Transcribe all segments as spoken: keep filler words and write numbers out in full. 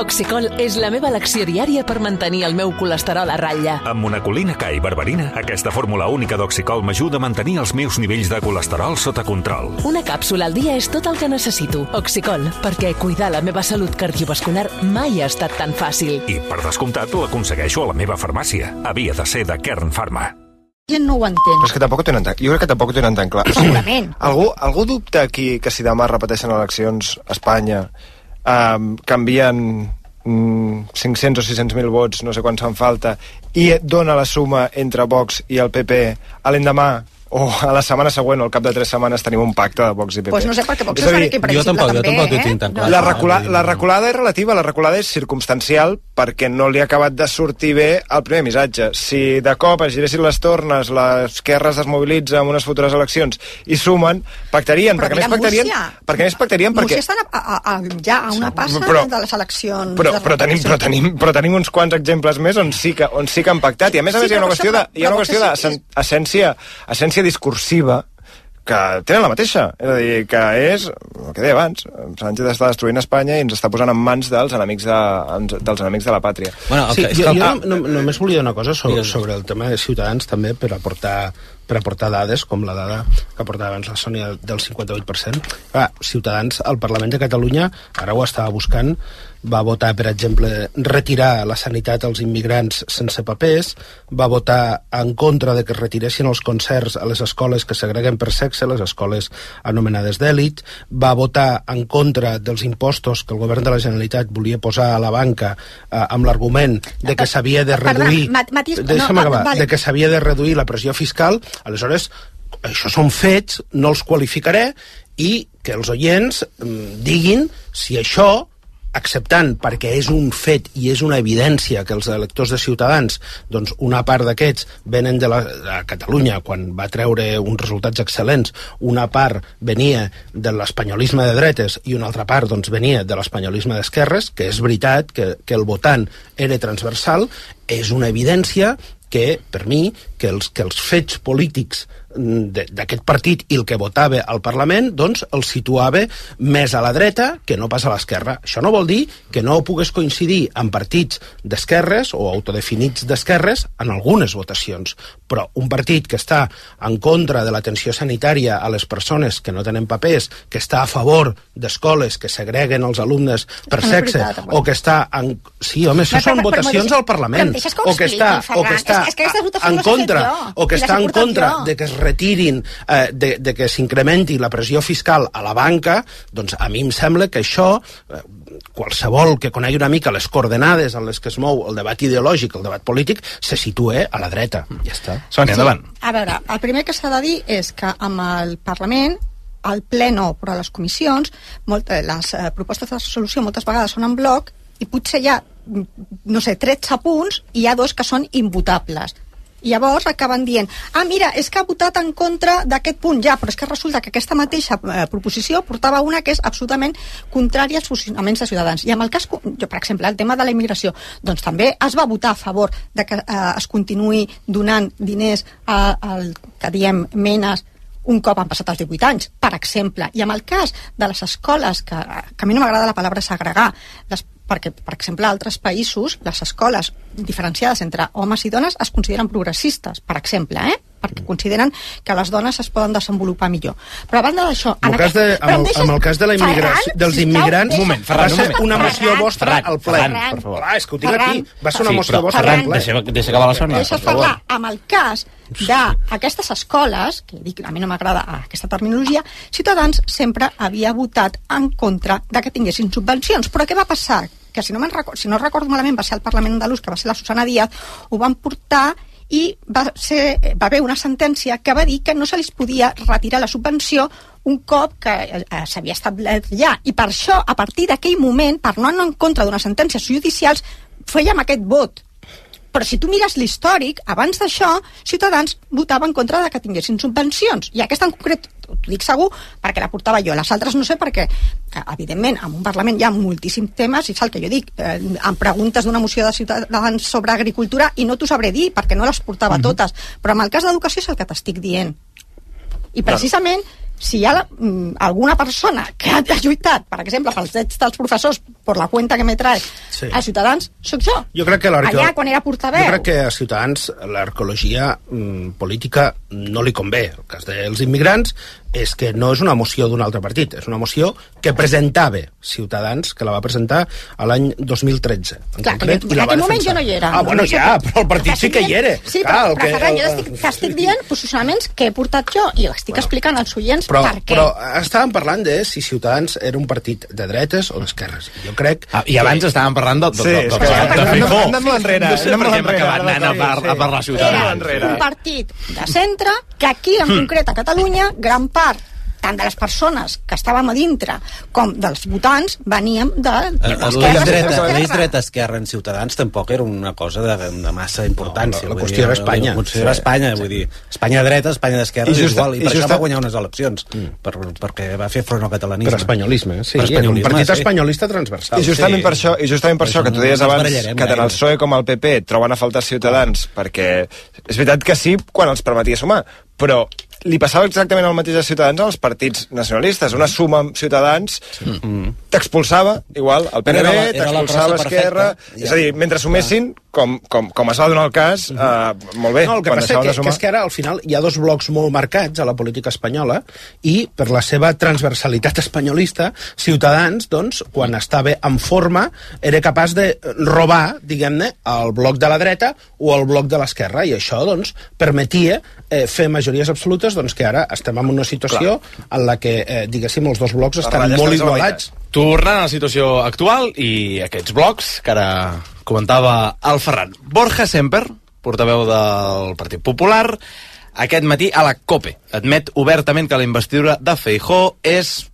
Oxicol és la meva elecció diària per mantenir el meu colesterol a ratlla. Amb monacolina K i berberina, aquesta fórmula única d'Oxicol m'ajuda a mantenir els meus nivells de colesterol sota control. Una càpsula al dia és tot el que necessito. Oxicol, perquè cuidar la meva salut cardiovascular mai ha estat tan fàcil. I, per descomptat, l'aconsegueixo a la meva farmàcia. Havia de ser de Kern Pharma. Gent no ho entén. Però és que tampoc ho tenen tan... Jo crec que tampoc ho tenen tan clar. Segurament. Algú, algú dubta aquí que si demà repeteixen eleccions a Espanya um, canvien um, cinc-cents o sis-cents mil vots, no sé quants fan falta, i dona la suma entre Vox i el P P a l'endemà o a la setmana següent o al cap de tres setmanes tenim un pacte de Vox i P P? Pues no sé, perquè Vox és que jo tampoc, jo tampoc ho tinc tan clar. La, recula, la reculada és relativa, la reculada és circumstancial perquè no li ha acabat de sortir bé el primer missatge. Si de cop es giressin les tornes, l'esquerra es desmobilitza en unes futures eleccions i sumen, pactarien, però perquè més pactarien... Perquè més pactarien perquè... Múrcia estan a, a, a, ja a una passa però, de les eleccions... Però, però, tenim, però, tenim, però tenim uns quants exemples més on sí que, on sí que han pactat, i a més a més sí, hi ha una qüestió de, hi ha una qüestió d'essència essència discursiva que tenen la mateixa, és a dir, que és el que deia abans, Sánchez està destruint Espanya i ens està posant en mans dels enemics de, dels enemics de la pàtria. Bueno, okay, sí, jo, jo ah, no, només volia dir una cosa sobre, sobre el tema de Ciutadans també, per aportar per aportar dades, com la dada que aportava abans la Sònia del cinquanta-vuit per cent. Ah, Ciutadans, al Parlament de Catalunya, ara ho estava buscant, va votar, per exemple, retirar la sanitat als immigrants sense papers, va votar en contra de que es retiressin els concerts a les escoles que segreguen per sexe, les escoles anomenades d'èlit, va votar en contra dels impostos que el govern de la Generalitat volia posar a la banca eh, amb l'argument de que s'havia de reduir... Perdona, Matis, deixa'm no, acabar, vale. de que s'havia de reduir la pressió fiscal. Aleshores, això són fets, no els qualificaré, i que els oients mm, diguin si això, acceptant, perquè és un fet i és una evidència que els electors de Ciutadans, doncs una part d'aquests venen de, la, de Catalunya quan va treure uns resultats excel·lents, una part venia de l'espanyolisme de dretes i una altra part doncs, venia de l'espanyolisme d'esquerres, que és veritat que, que el votant era transversal, és una evidència que, per mi, que els, que els fets polítics d'aquest partit i el que votava al Parlament, doncs el situava més a la dreta que no pas a l'esquerra. Això no vol dir que no pugues coincidir amb partits d'esquerres o autodefinits d'esquerres en algunes votacions, però un partit que està en contra de l'atenció sanitària a les persones que no tenen papers, que està a favor d'escoles que segreguen els alumnes per sexe, o que està en... Sí, home, això són votacions al Parlament, o que està en contra, o que està en contra de que es retirin, eh, de, de que s'incrementi la pressió fiscal a la banca, doncs a mi em sembla que això, eh, qualsevol que conegui una mica les coordenades en les que es mou el debat ideològic, el debat polític, se situa a la dreta. Ja està. Sònia, endavant. Sí. A veure, el primer que s'ha de dir és que amb el Parlament, al ple no, però a les comissions, molt, les eh, propostes de resolució moltes vegades són en bloc i potser hi ha, no sé, tretze punts i hi ha dos que són imvotables. I llavors acaben dient, ah, mira, és que ha votat en contra d'aquest punt, ja, però és que resulta que aquesta mateixa eh, proposició portava una que és absolutament contrària als funcionaments de Ciutadans. I amb el cas, jo, per exemple, el tema de la immigració, doncs també es va votar a favor de que eh, es continuï donant diners al que diem menes un cop han passat els divuit anys, per exemple. I amb el cas de les escoles, que, que a mi no m'agrada la paraula segregar, les perquè, per exemple, a altres països, les escoles diferenciades entre homes i dones es consideren progressistes, per exemple, eh? perquè consideren que les dones es poden desenvolupar millor. Però a banda d'això... En aquest, de, amb, deixes, amb el cas de la immigració, dels immigrants, deixa, moment, Ferran, va ser una moció Ferran, vostra Ferran, al ple. Ferran, per favor. Ah, és que ho tinc Ferran, aquí. Va ser una sí, moció però, vostra Ferran, al ple. Deixa, deixa acabar la Sònia, Deixes parlar. Amb el cas d'aquestes escoles, que dic, a mi no m'agrada aquesta terminologia, Ciutadans sempre havia votat en contra de que tinguessin subvencions. Però què va passar? Que si no, record, si no recordo malament va ser el Parlament andalús, que va ser la Susana Díaz, ho van portar i va, ser, va haver una sentència que va dir que no se li podia retirar la subvenció un cop que eh, s'havia establert ja. I per això, a partir d'aquell moment, per no anar en contra d'unes sentències judicials, fèiem aquest vot. Però si tu mires l'històric, abans d'això, Ciutadans votava en contra de que tinguessin subvencions. I aquesta en concret, t'ho dic segur, perquè la portava jo. Les altres no sé perquè, evidentment, en un Parlament hi ha moltíssims temes, i és el que jo dic, eh, em preguntes d'una moció de Ciutadans sobre agricultura i no t'ho sabré dir, perquè no les portava mm-hmm. totes. Però en el cas d'educació és el que t'estic dient. I precisament si hi ha la, mm, alguna persona que ha lluitat, per exemple, pels drets dels professors, per la cuenta que me trae sí. a Ciutadans, sóc jo. Jo crec que allà, quan era portaveu. Jo crec que a Ciutadans l'arqueologia mm, política no li convé. El cas dels immigrants és que no és una moció d'un altre partit, és una moció que presentava Ciutadans, que la va presentar a l'any dos mil tretze. En Clar, concret, que en aquell moment jo no hi era. Ah, bueno, no sé ja, que, però el partit sí que hi era. Sí, Clar, però, però que, Ferran, jo estic, t'estic dient posicionaments que he portat jo i estic bueno, explicant als oients però, per què. Però estàvem parlant de si Ciutadans era un partit de dretes o d'esquerres. Jo crec... Ah, I abans que... estàvem parlant de, de, sí, de, de, de, de Feijó. Anem enrere. No sé per què hem acabat anant a, par, a parlar Ciutadans. Era un partit de centre que aquí, en concret a Catalunya, gran part tant de les persones que estàvem a dintre com dels votants veníem de, de l'esquerra. L'eix dreta-esquerra en Ciutadans tampoc era una cosa de, de massa importància. No, la, la qüestió era Espanya. La qüestió era Espanya, vull dir, Espanya dreta, Espanya d'esquerra és igual, i per això va guanyar unes eleccions, mm. per, perquè va fer front al catalanisme. Per espanyolisme, sí, per espanyolisme, un partit sí. espanyolista transversal. I justament sí. per això, i justament per això que tu deies abans, que tant el P S O E com el P P troben a faltar Ciutadans, perquè és veritat que sí, quan els permetia sumar, però li passava exactament el mateix a Ciutadans als partits nacionalistes. Una suma amb Ciutadans mm. t'expulsava, igual, el P N B, t'expulsava Esquerra... Ja. És a dir, mentre sumessin, com, com, com es va donar el cas, mm -hmm. uh, molt bé. No, el que passa que, que és que ara, al final, hi ha dos blocs molt marcats a la política espanyola i, per la seva transversalitat espanyolista, Ciutadans, doncs, quan estava en forma, era capaç de robar, diguem-ne, el bloc de la dreta o el bloc de l'esquerra, i això, doncs, permetia eh, fer majories absolutes, doncs que ara estem en una situació Clar. en la que, eh, diguéssim, els dos blocs estan molt igualats. Tornant a la situació actual i aquests blocs, que ara comentava el Ferran. Borja Semper, portaveu del Partit Popular, aquest matí a la COPE admet obertament que la investidura de Feijóo és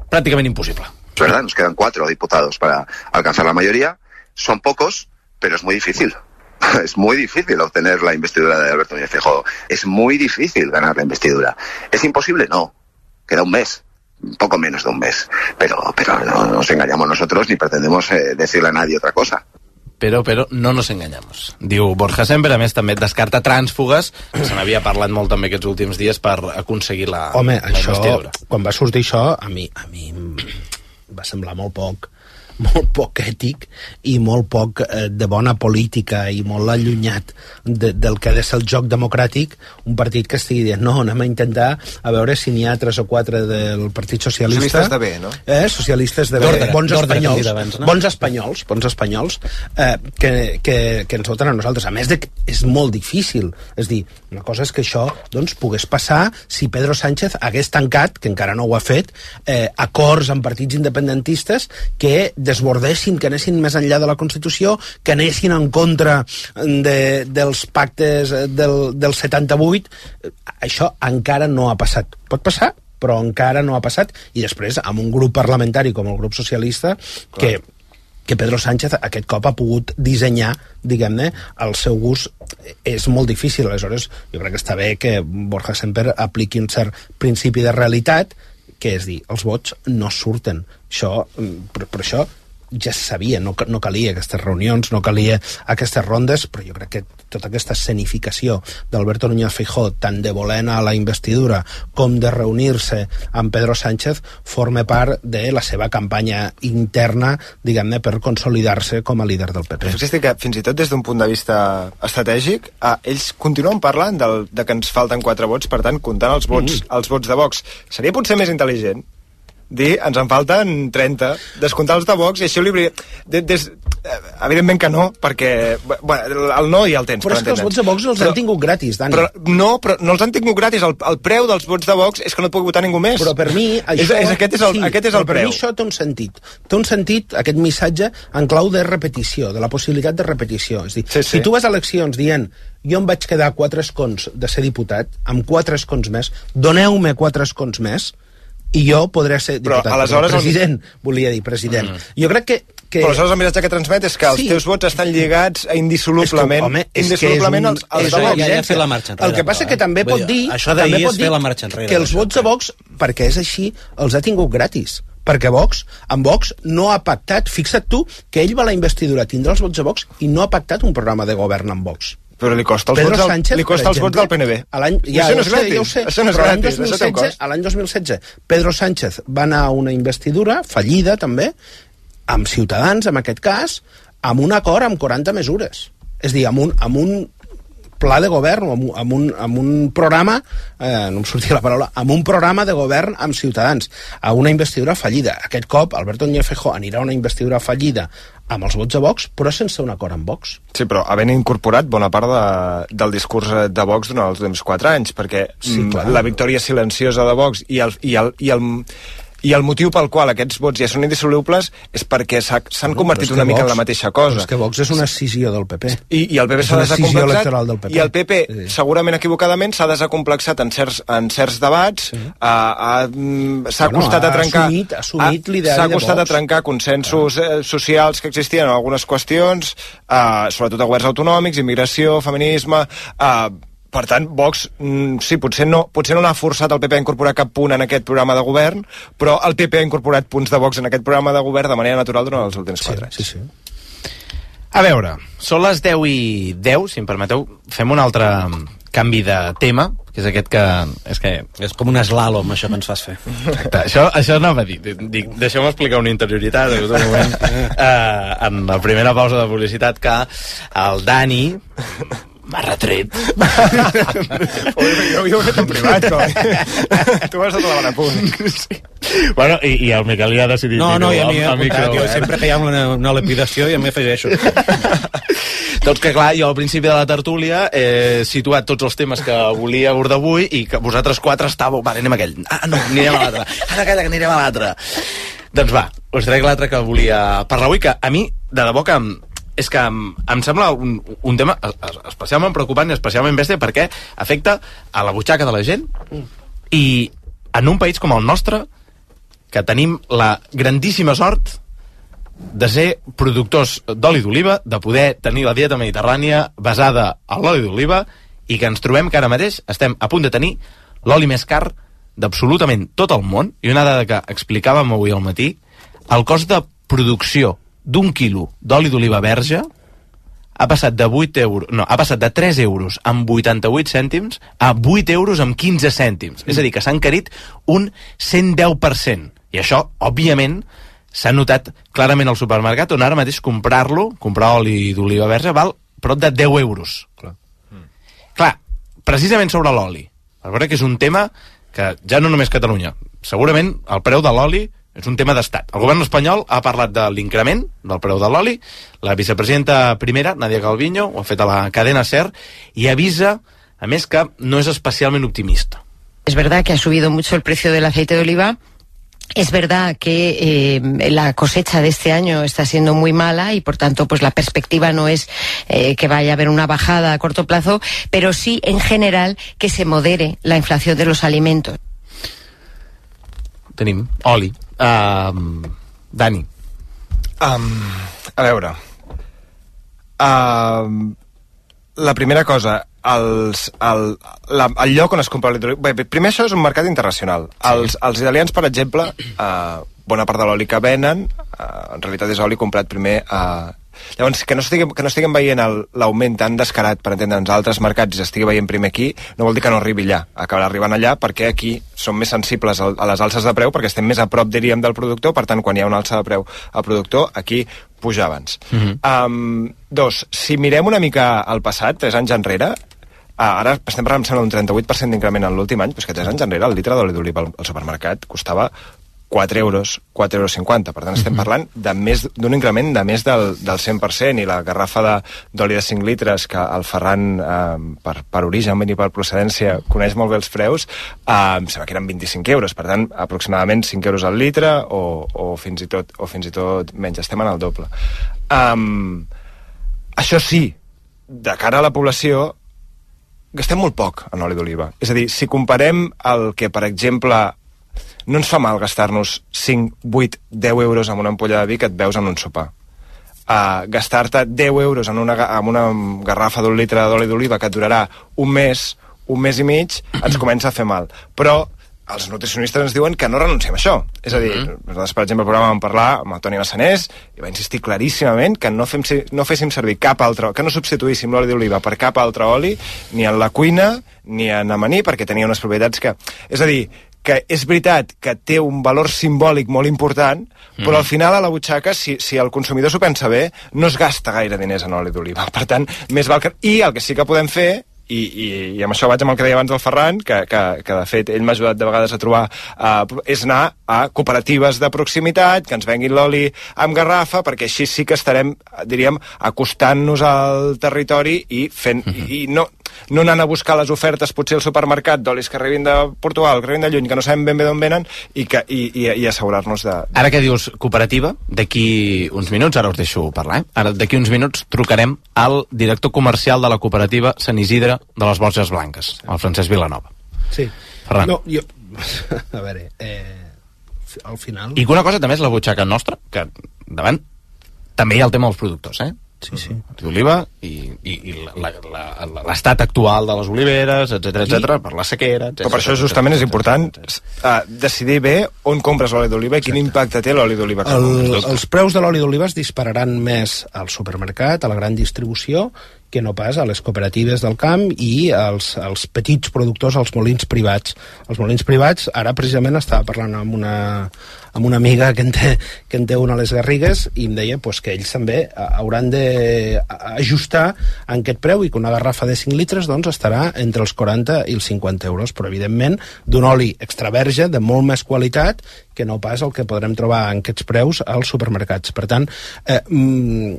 prácticamente imposible. Es verdad, nos quedan cuatro diputados para alcanzar la mayoría. Son pocos, pero es muy difícil. Es muy difícil obtener la investidura de Alberto Núñez Feijóo. Es muy difícil ganar la investidura. ¿Es imposible? No. Queda un mes. Un poco menos de un mes. Pero, pero no nos engañamos nosotros ni pretendemos eh, decirle a nadie otra cosa. Però, però no nos engañamos. Diu Borja Semper, a més també descarta trànsfugues, que se n'havia parlat molt també aquests últims dies per aconseguir la, Home, la això, investidura. Quan va sortir això, a mi, a mi va semblar molt poc molt poc ètic i molt poc eh, de bona política i molt allunyat de, del que ha de ser el joc democràtic, un partit que estigui dient no, anem a intentar a veure si n'hi ha tres o quatre del Partit Socialista. Socialistes de bé, no? Eh, socialistes de bé, bons espanyols, abans, no? bons espanyols, bons espanyols eh, que, que, que ens voten a nosaltres. A més de que és molt difícil, és dir, una cosa és que això doncs, pogués passar si Pedro Sánchez hagués tancat, que encara no ho ha fet, eh, acords amb partits independentistes que desbordessin, que anessin més enllà de la Constitució, que anessin en contra de, dels pactes del, del setanta-vuit. Això encara no ha passat. Pot passar, però encara no ha passat. I després, amb un grup parlamentari com el grup socialista, que, que Pedro Sánchez aquest cop ha pogut dissenyar, diguem-ne, el seu gust, és molt difícil. Aleshores, jo crec que està bé que Borja Semper apliqui un cert principi de realitat, que és dir, els vots no surten. Això, per, per això ja se sabia, no, no calia aquestes reunions, no calia aquestes rondes, però jo crec que tota aquesta escenificació d'Alberto Núñez Feijóo, tant de voler anar a la investidura com de reunir-se amb Pedro Sánchez, forma part de la seva campanya interna, diguem-ne, per consolidar-se com a líder del P P. Però que fins i tot des d'un punt de vista estratègic, eh, ells continuen parlant del, de que ens falten quatre vots, per tant, comptant els vots, mm. els vots de Vox. Seria potser més intel·ligent dir, ens en falten trenta, descomptar els de Vox, i així li... Des, des, evidentment que no, perquè bueno, el no ja el tens. Però és que els vots de Vox els però, han tingut gratis, Dani. Però, no, però no els han tingut gratis. El, el preu dels vots de Vox és que no et pugui votar ningú més. Però per mi això... És, és, aquest és el, sí, aquest és el per preu. mi això té un sentit. Té un sentit, aquest missatge, en clau de repetició, de la possibilitat de repetició. És dir, sí, sí. Si tu vas a eleccions dient jo em vaig quedar quatre escons de ser diputat, amb quatre escons més, doneu-me quatre escons més, i jo podré ser diputat. Però aleshores... President, el... volia dir president. Mm. Jo crec que... que... Però aleshores el missatge que transmet és que els sí. teus vots estan lligats a indissolublement, és que, home, és indissolublement un... els, els de Vox. Ja, ja fer la marxa enrere, el que passa però, que també pot dir, això també pot és dir fer la marxa enrere, que els vots de Vox, perquè és així, els ha tingut gratis. Perquè Vox, amb Vox, no ha pactat, fixa't tu, que ell va a la investidura tindrà els vots de Vox i no ha pactat un programa de govern amb Vox. Però li costa els, vots, Sánchez, del, li costa els vots del P N B. Ja, això no és sé, gratis. Ja ho sé. Això no és gratis. L'any dos mil setze, l'any dos mil setze, Pedro Sánchez va anar a una investidura, fallida també, amb Ciutadans, en aquest cas, amb un acord amb quaranta mesures. És a dir, amb un, amb un pla de govern, amb, amb, un, amb un programa, eh, no em sortia la paraula, amb un programa de govern amb Ciutadans, a una investidura fallida. Aquest cop, Alberto Núñez Feijóo anirà a una investidura fallida amb els vots de Vox, però sense un acord amb Vox. Sí, però havent incorporat bona part de, del discurs de Vox durant els últims quatre anys, perquè sí, la victòria silenciosa de Vox i el, i el, i el I el motiu pel qual aquests vots ja són indissolubles és perquè s'han no, convertit una mica Vox, en la mateixa cosa. És que Vox és una escissió del P P. I, i el P P s'ha desacomplexat, i el P P, sí. segurament equivocadament, s'ha desacomplexat en certs, en certs debats, sí. a, a, s'ha bueno, costat a trencar... Assumit, assumit l'ideari S'ha costat a trencar consensos ah. socials que existien en algunes qüestions, uh, sobretot a governs autonòmics, immigració, feminisme... Uh, Per tant, Vox, mm, sí, potser no, potser no l'ha forçat el P P a incorporar cap punt en aquest programa de govern, però el P P ha incorporat punts de Vox en aquest programa de govern de manera natural durant els últims quatre anys. Sí, sí, sí. A veure, són les deu i deu, si em permeteu, fem un altre canvi de tema, que és aquest que... És, que... és com un slalom, això que ens fas fer. Exacte, això, això anava a dir. Dic, deixeu-me explicar una interioritat, en un moment, eh, en la primera pausa de publicitat, que el Dani... m'ha retret. jo, jo ho he fet en privat, no? Tu vas a clavar a punt. Sí. Bueno, i, i el Miquel ja ha decidit... No, no, ja m'hi he apuntat. Jo sempre que hi ha una, una lapidació ja m'hi afegeixo. Tots que, clar, jo al principi de la tertúlia he situat tots els temes que volia abordar avui i que vosaltres quatre estàveu... Vale, anem a aquell. Ah, no, anirem a l'altre. Ara calla, que anirem a l'altre. Doncs va, us trec l'altre que volia parlar avui, que a mi, de debò que... és que em, em sembla un, un tema especialment preocupant i especialment bèstia perquè afecta a la butxaca de la gent i en un país com el nostre que tenim la grandíssima sort de ser productors d'oli d'oliva, de poder tenir la dieta mediterrània basada en l'oli d'oliva i que ens trobem que ara mateix estem a punt de tenir l'oli més car d'absolutament tot el món. I una dada que explicàvem avui al matí, el cost de producció d'un quilo d'oli d'oliva verge ha passat de vuit euros, no, ha passat de tres euros amb vuitanta-vuit cèntims a vuit euros amb quinze cèntims. Mm. És a dir, que s'ha encarit un cent deu per cent. I això, òbviament, s'ha notat clarament al supermercat, on ara mateix comprar-lo, comprar oli d'oliva verge, val prop de deu euros. Clar, mm. Clar, precisament sobre l'oli. Per veure que és un tema que ja no només Catalunya, segurament el preu de l'oli és un tema d'estat. El govern espanyol ha parlat de l'increment del preu de l'oli. La vicepresidenta primera, Nadia Calviño, ho ha fet a la cadena SER i avisa, a més, que no és especialment optimista. Es verdad que ha subido mucho el precio del aceite de oliva. Es verdad que eh, la cosecha de este año está siendo muy mala y por tanto pues la perspectiva no es eh, que vaya a haber una bajada a corto plazo, pero sí en general que se modere la inflación de los alimentos. Tenim oli. Uh, Dani. Um, a veure... Uh, la primera cosa, els, el, la, el lloc on es compra l'oli d'oliva... Bé, primer això és un mercat internacional. Sí. Els, els italians, per exemple, uh, bona part de l'oli que venen, uh, en realitat és oli comprat primer a... Uh, Llavors, que no estiguem, que no estiguem veient l'augment tan descarat, per entendre'ns, a altres mercats i s'estigui veient primer aquí, no vol dir que no arribi allà. Acabarà arribant allà perquè aquí som més sensibles a les alces de preu, perquè estem més a prop, diríem, del productor, per tant, quan hi ha una alça de preu al productor, aquí puja abans. Mm-hmm. um, dos, si mirem una mica al passat, tres anys enrere, Ah, ara estem parlant, em sembla, d'un trenta-vuit per cent d'increment en l'últim any, però és que tres anys enrere el litre d'oli d'oliva al, al supermercat costava quatre euros, quatre euros cinquanta. Per tant, estem parlant de més d'un increment de més del, del cent per cent, i la garrafa de, d'oli de cinc litres, que el Ferran, eh, per, per origen i per procedència, coneix molt bé els preus, eh, em sembla que eren vint-i-cinc euros. Per tant, aproximadament cinc euros al litre, o, o, fins i tot, o fins i tot menys. Estem en el doble. Um, això sí, de cara a la població, gastem molt poc en oli d'oliva. És a dir, si comparem el que, per exemple, no ens fa mal gastar-nos cinc, vuit, deu euros en una ampolla de vi que et veus en un sopar. Uh, gastar-te deu euros en una, en una garrafa d'un litre d'oli d'oliva que et durarà un mes, un mes i mig, ens comença a fer mal. Però els nutricionistes ens diuen que no renunciem a això. És a dir, mm-hmm. nosaltres, per exemple, al programa vam parlar amb el Toni Massanés i va insistir claríssimament que no, fem, no féssim servir cap altre, que no substituíssim l'oli d'oliva per cap altre oli, ni en la cuina, ni en amanir, perquè tenia unes propietats que... És a dir, que és veritat que té un valor simbòlic molt important, però mm. al final a la butxaca, si, si el consumidor s'ho pensa bé, no es gasta gaire diners en oli d'oliva. Per tant, més val que... I el que sí que podem fer, I, i, i amb això vaig amb el que deia abans del Ferran, que, que, que de fet ell m'ha ajudat de vegades a trobar, uh, és anar a cooperatives de proximitat, que ens venguin l'oli amb garrafa, perquè així sí que estarem, diríem, acostant-nos al territori i fent... Mm-hmm. I, i no, no anant a buscar les ofertes potser al supermercat d'olis que arribin de Portugal, que arribin de lluny, que no sabem ben bé d'on venen, i, que, i, i, i assegurar-nos de, de... Ara que dius cooperativa, d'aquí uns minuts, ara us deixo parlar, eh? Ara d'aquí uns minuts trucarem al director comercial de la cooperativa Sant Isidre de les Borges Blanques, el Francesc Vilanova. Sí. Ferran. No, jo... A veure, eh, al final... I una cosa també és la butxaca nostra, que davant també hi ha el tema dels productors, eh? Sí, sí. D'oliva i, i, i l'estat actual de les oliveres, etcètera, etcètera, per la sequera, etcètera. Però per això justament és important uh, decidir bé on compres l'oli d'oliva i quin impacte té l'oli d'oliva. El, els preus de l'oli d'oliva es dispararan més al supermercat, a la gran distribució, que no pas a les cooperatives del camp i als, als petits productors, als molins privats. Els molins privats, ara precisament estava parlant amb una, amb una amiga que en, té, que en té una a les Garrigues i em deia pues, que ells també hauran d'ajustar en aquest preu i que una garrafa de cinc litres doncs, estarà entre els quaranta i els cinquanta euros, però evidentment d'un oli extra verge de molt més qualitat que no pas el que podrem trobar en aquests preus als supermercats. Per tant, eh, mm,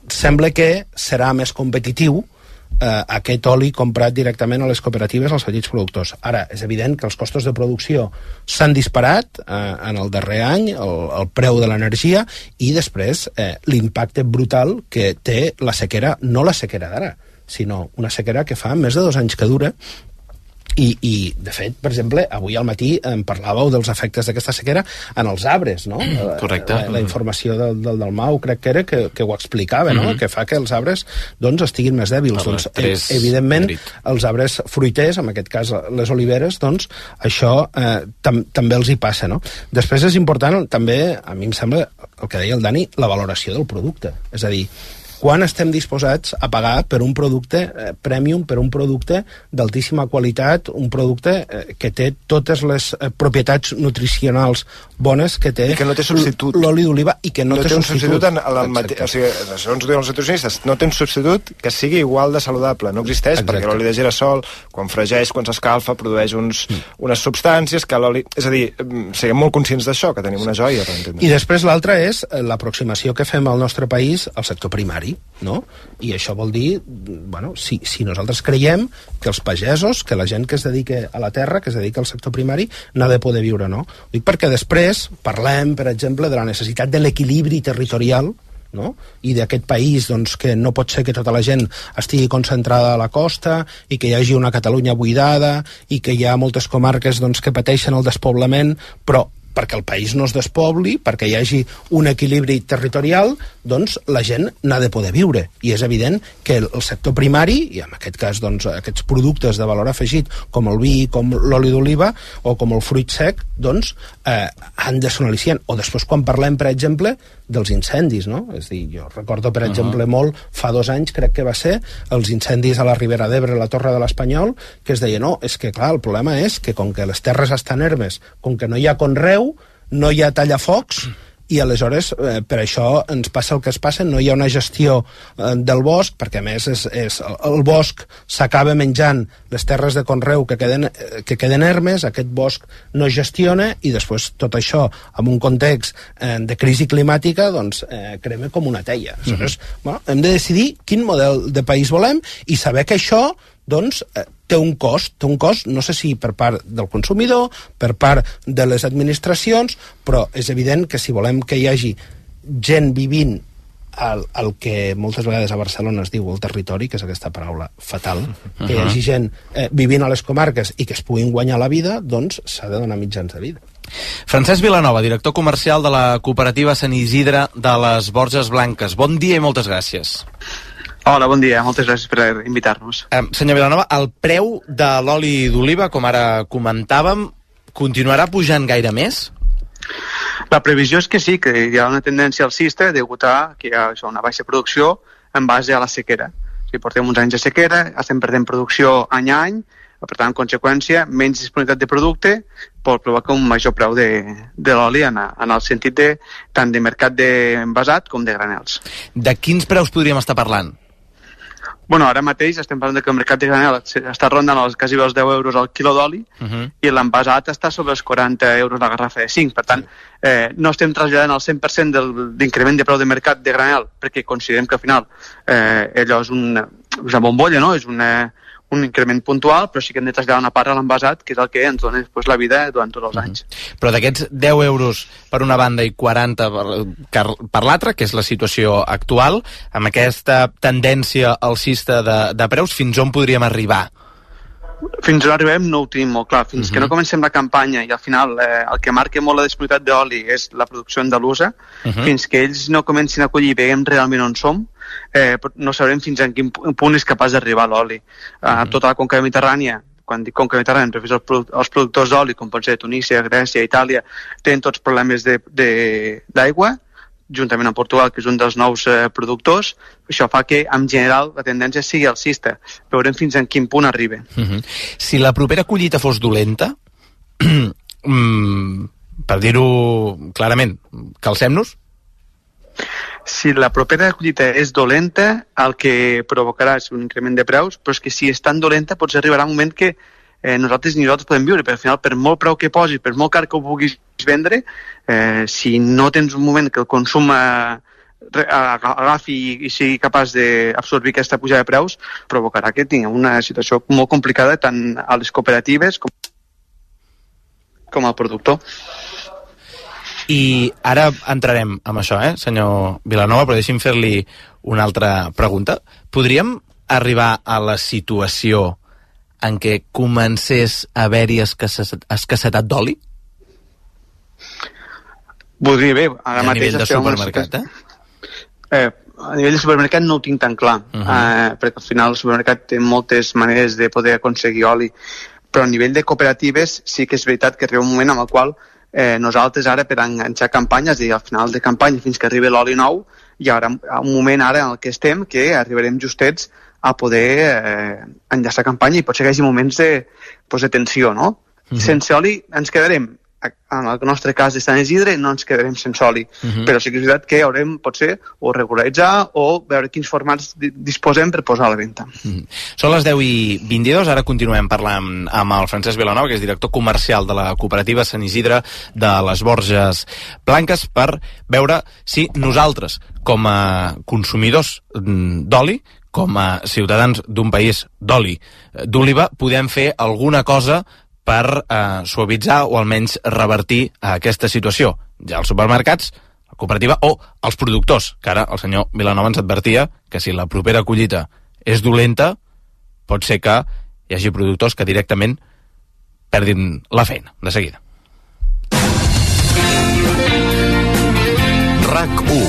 sembla que serà més competitiu eh, aquest oli comprat directament a les cooperatives als petits productors. Ara, és evident que els costos de producció s'han disparat eh, en el darrer any, el, el preu de l'energia, i després eh, l'impacte brutal que té la sequera, no la sequera d'ara, sinó una sequera que fa més de dos anys que dura. I, i, de fet, per exemple, avui al matí em parlàveu dels efectes d'aquesta sequera en els arbres, no? Correcte. La, la informació del, del Dalmau, crec que era, que, que ho explicava, no? Mm-hmm. Que fa que els arbres, doncs, estiguin més dèbils. Home, doncs, eh, evidentment, grit. Els arbres fruiters, en aquest cas les oliveres, doncs, això eh, tam, també els hi passa, no? Després és important, també, a mi em sembla, el que deia el Dani, la valoració del producte. És a dir, quan estem disposats a pagar per un producte eh, premium, per un producte d'altíssima qualitat, un producte eh, que té totes les eh, propietats nutricionals bones que té, I que no té substitut. L'oli d'oliva i que no, no té, té un substitut. substitut en, en el mate... o sigui, segons diuen els nutricionistes, no té un substitut que sigui igual de saludable, no existeix. Exacte. Perquè l'oli de girassol, quan fregeix, quan s'escalfa, produeix uns, mm. unes substàncies que l'oli... És a dir, siguem molt conscients d'això, que tenim una joia per entendre. I després l'altra és l'aproximació que fem al nostre país al sector primari, no? I això vol dir, bueno, si, si nosaltres creiem que els pagesos, que la gent que es dedica a la terra, que es dedica al sector primari, n'ha de poder viure, no? Dic perquè després parlem, per exemple, de la necessitat de l'equilibri territorial, no? I d'aquest país, doncs, que no pot ser que tota la gent estigui concentrada a la costa i que hi hagi una Catalunya buidada i que hi ha moltes comarques, doncs, que pateixen el despoblament, però perquè el país no es despobli, perquè hi hagi un equilibri territorial, doncs la gent n'ha de poder viure. I és evident que el sector primari, i en aquest cas doncs, aquests productes de valor afegit, com el vi, com l'oli d'oliva, o com el fruit sec, doncs eh, han de ser un al·licient. O després quan parlem, per exemple, dels incendis, no? És a dir, jo recordo, per exemple, uh-huh. molt, fa dos anys, crec que va ser, els incendis a la Ribera d'Ebre, a la Torre de l'Espanyol, que es deia, no, és que clar, el problema és que com que les terres estan ermes, com que no hi ha conreu, no hi ha tallafocs, i aleshores eh, per això ens passa el que es passa, no hi ha una gestió eh, del bosc, perquè a més és, és, el bosc s'acaba menjant les terres de conreu que queden, eh, que queden ermes, aquest bosc no es gestiona i després tot això en un context eh, de crisi climàtica doncs eh, crema com una teia. Aleshores, mm-hmm. bueno, hem de decidir quin model de país volem i saber que això doncs eh, té un cost, té un cost, no sé si per part del consumidor, per part de les administracions, però és evident que si volem que hi hagi gent vivint al, al que moltes vegades a Barcelona es diu el territori, que és aquesta paraula fatal, uh-huh. que hi hagi gent eh, vivint a les comarques i que es puguin guanyar la vida, doncs s'ha de donar mitjans de vida. Francesc Vilanova, director comercial de la cooperativa Sant Isidre de les Borges Blanques. Bon dia i moltes gràcies. Hola, bon dia. Moltes gràcies per invitar-nos. Eh, senyor Vilanova, el preu de l'oli d'oliva, com ara comentàvem, continuarà pujant gaire més? La previsió és que sí, que hi ha una tendència alcista degut a que hi ha això, una baixa producció en base a la sequera. O sigui, portem uns anys de sequera, estem perdent producció any a any, per tant, en conseqüència, menys disponibilitat de producte pot provocar un major preu de, de l'oli en, en el sentit de, tant de mercat d'envasat com de granels. De quins preus podríem estar parlant? Bueno, ara mateix estem parlant que el mercat de granel està rondant els, quasi els deu euros al quilo d'oli uh-huh. i l'envasat està sobre els quaranta euros la garrafa de cinc. Per tant, eh, no estem traslladant el cent per cent del, d'increment de preu de mercat de granel perquè considerem que al final eh, allò és una, una bombolla, no? És una, un increment puntual, però sí que hem de traslladar una part a l'envasat, que és el que ens dona després la vida durant tots els anys. Uh-huh. Però d'aquests deu euros per una banda i quaranta per, per l'altra, que és la situació actual, amb aquesta tendència alcista de, de preus, fins on podríem arribar? Fins on arribem no ho tenim molt clar. Fins uh-huh. que no comencem la campanya i al final eh, el que marca molt la disponibilitat d'oli és la producció andalusa, uh-huh. fins que ells no comencin a collir i veiem realment on som, eh, no sabrem fins en quin punt és capaç d'arribar l'oli. Uh-huh. A tota la conca mediterrània, quan dic conca mediterrània, em refereixo als, els productors d'oli, com pot ser Tunísia, Grècia, Itàlia, tenen tots problemes de, de, d'aigua, juntament amb Portugal, que és un dels nous eh, productors. Això fa que, en general, la tendència sigui alcista. Veurem fins en quin punt arriba. Uh-huh. Si la propera collita fos dolenta, mm, per dir-ho clarament, calcem-nos? Si la propera collita és dolenta, el que provocarà és un increment de preus, però és que si és tan dolenta, potser arribarà un moment que eh, nosaltres ni nosaltres podem viure, perquè al final, per molt preu que posis, per molt car que ho puguis vendre, eh, si no tens un moment que el consum eh, agafi i, i sigui capaç d'absorbir aquesta pujada de preus, provocarà que tinguem una situació molt complicada tant a les cooperatives com, com al productor. I ara entrarem amb això, eh, senyor Vilanova, però deixi'm fer-li una altra pregunta. Podríem arribar a la situació en què comencés a haver-hi escassetat d'oli? Podria bé. Ara a nivell de supermercat, eh? eh? A nivell de supermercat no ho tinc tan clar, uh-huh. eh, perquè al final el supermercat té moltes maneres de poder aconseguir oli, però a nivell de cooperatives sí que és veritat que arriba un moment en el qual eh, nosaltres ara per enganxar campanyes i al final de campanya fins que arribi l'oli nou hi haurà un moment ara en el que estem que arribarem justets a poder eh, enllaçar campanya i potser que hi hagi moments de, pues, de tensió, no? Uh-huh. Sense oli ens quedarem, en el nostre cas de Sant Isidre no ens quedarem sense oli, uh-huh. però sí que és veritat que haurem potser o regularitzar o veure quins formats disposem per posar a la venda. Uh-huh. Són les deu i vint-i-dos, ara continuem parlant amb el Francesc Vilanova, que és director comercial de la cooperativa Sant Isidre de les Borges Blanques, per veure si nosaltres, com a consumidors d'oli, com a ciutadans d'un país d'oli d'oliva, podem fer alguna cosa per eh, suavitzar o almenys revertir eh, aquesta situació. Ja als supermercats, la cooperativa o els productors, que ara el senyor Vilanova ens advertia que si la propera collita és dolenta, pot ser que hi hagi productors que directament perdin la feina, de seguida. RAC u.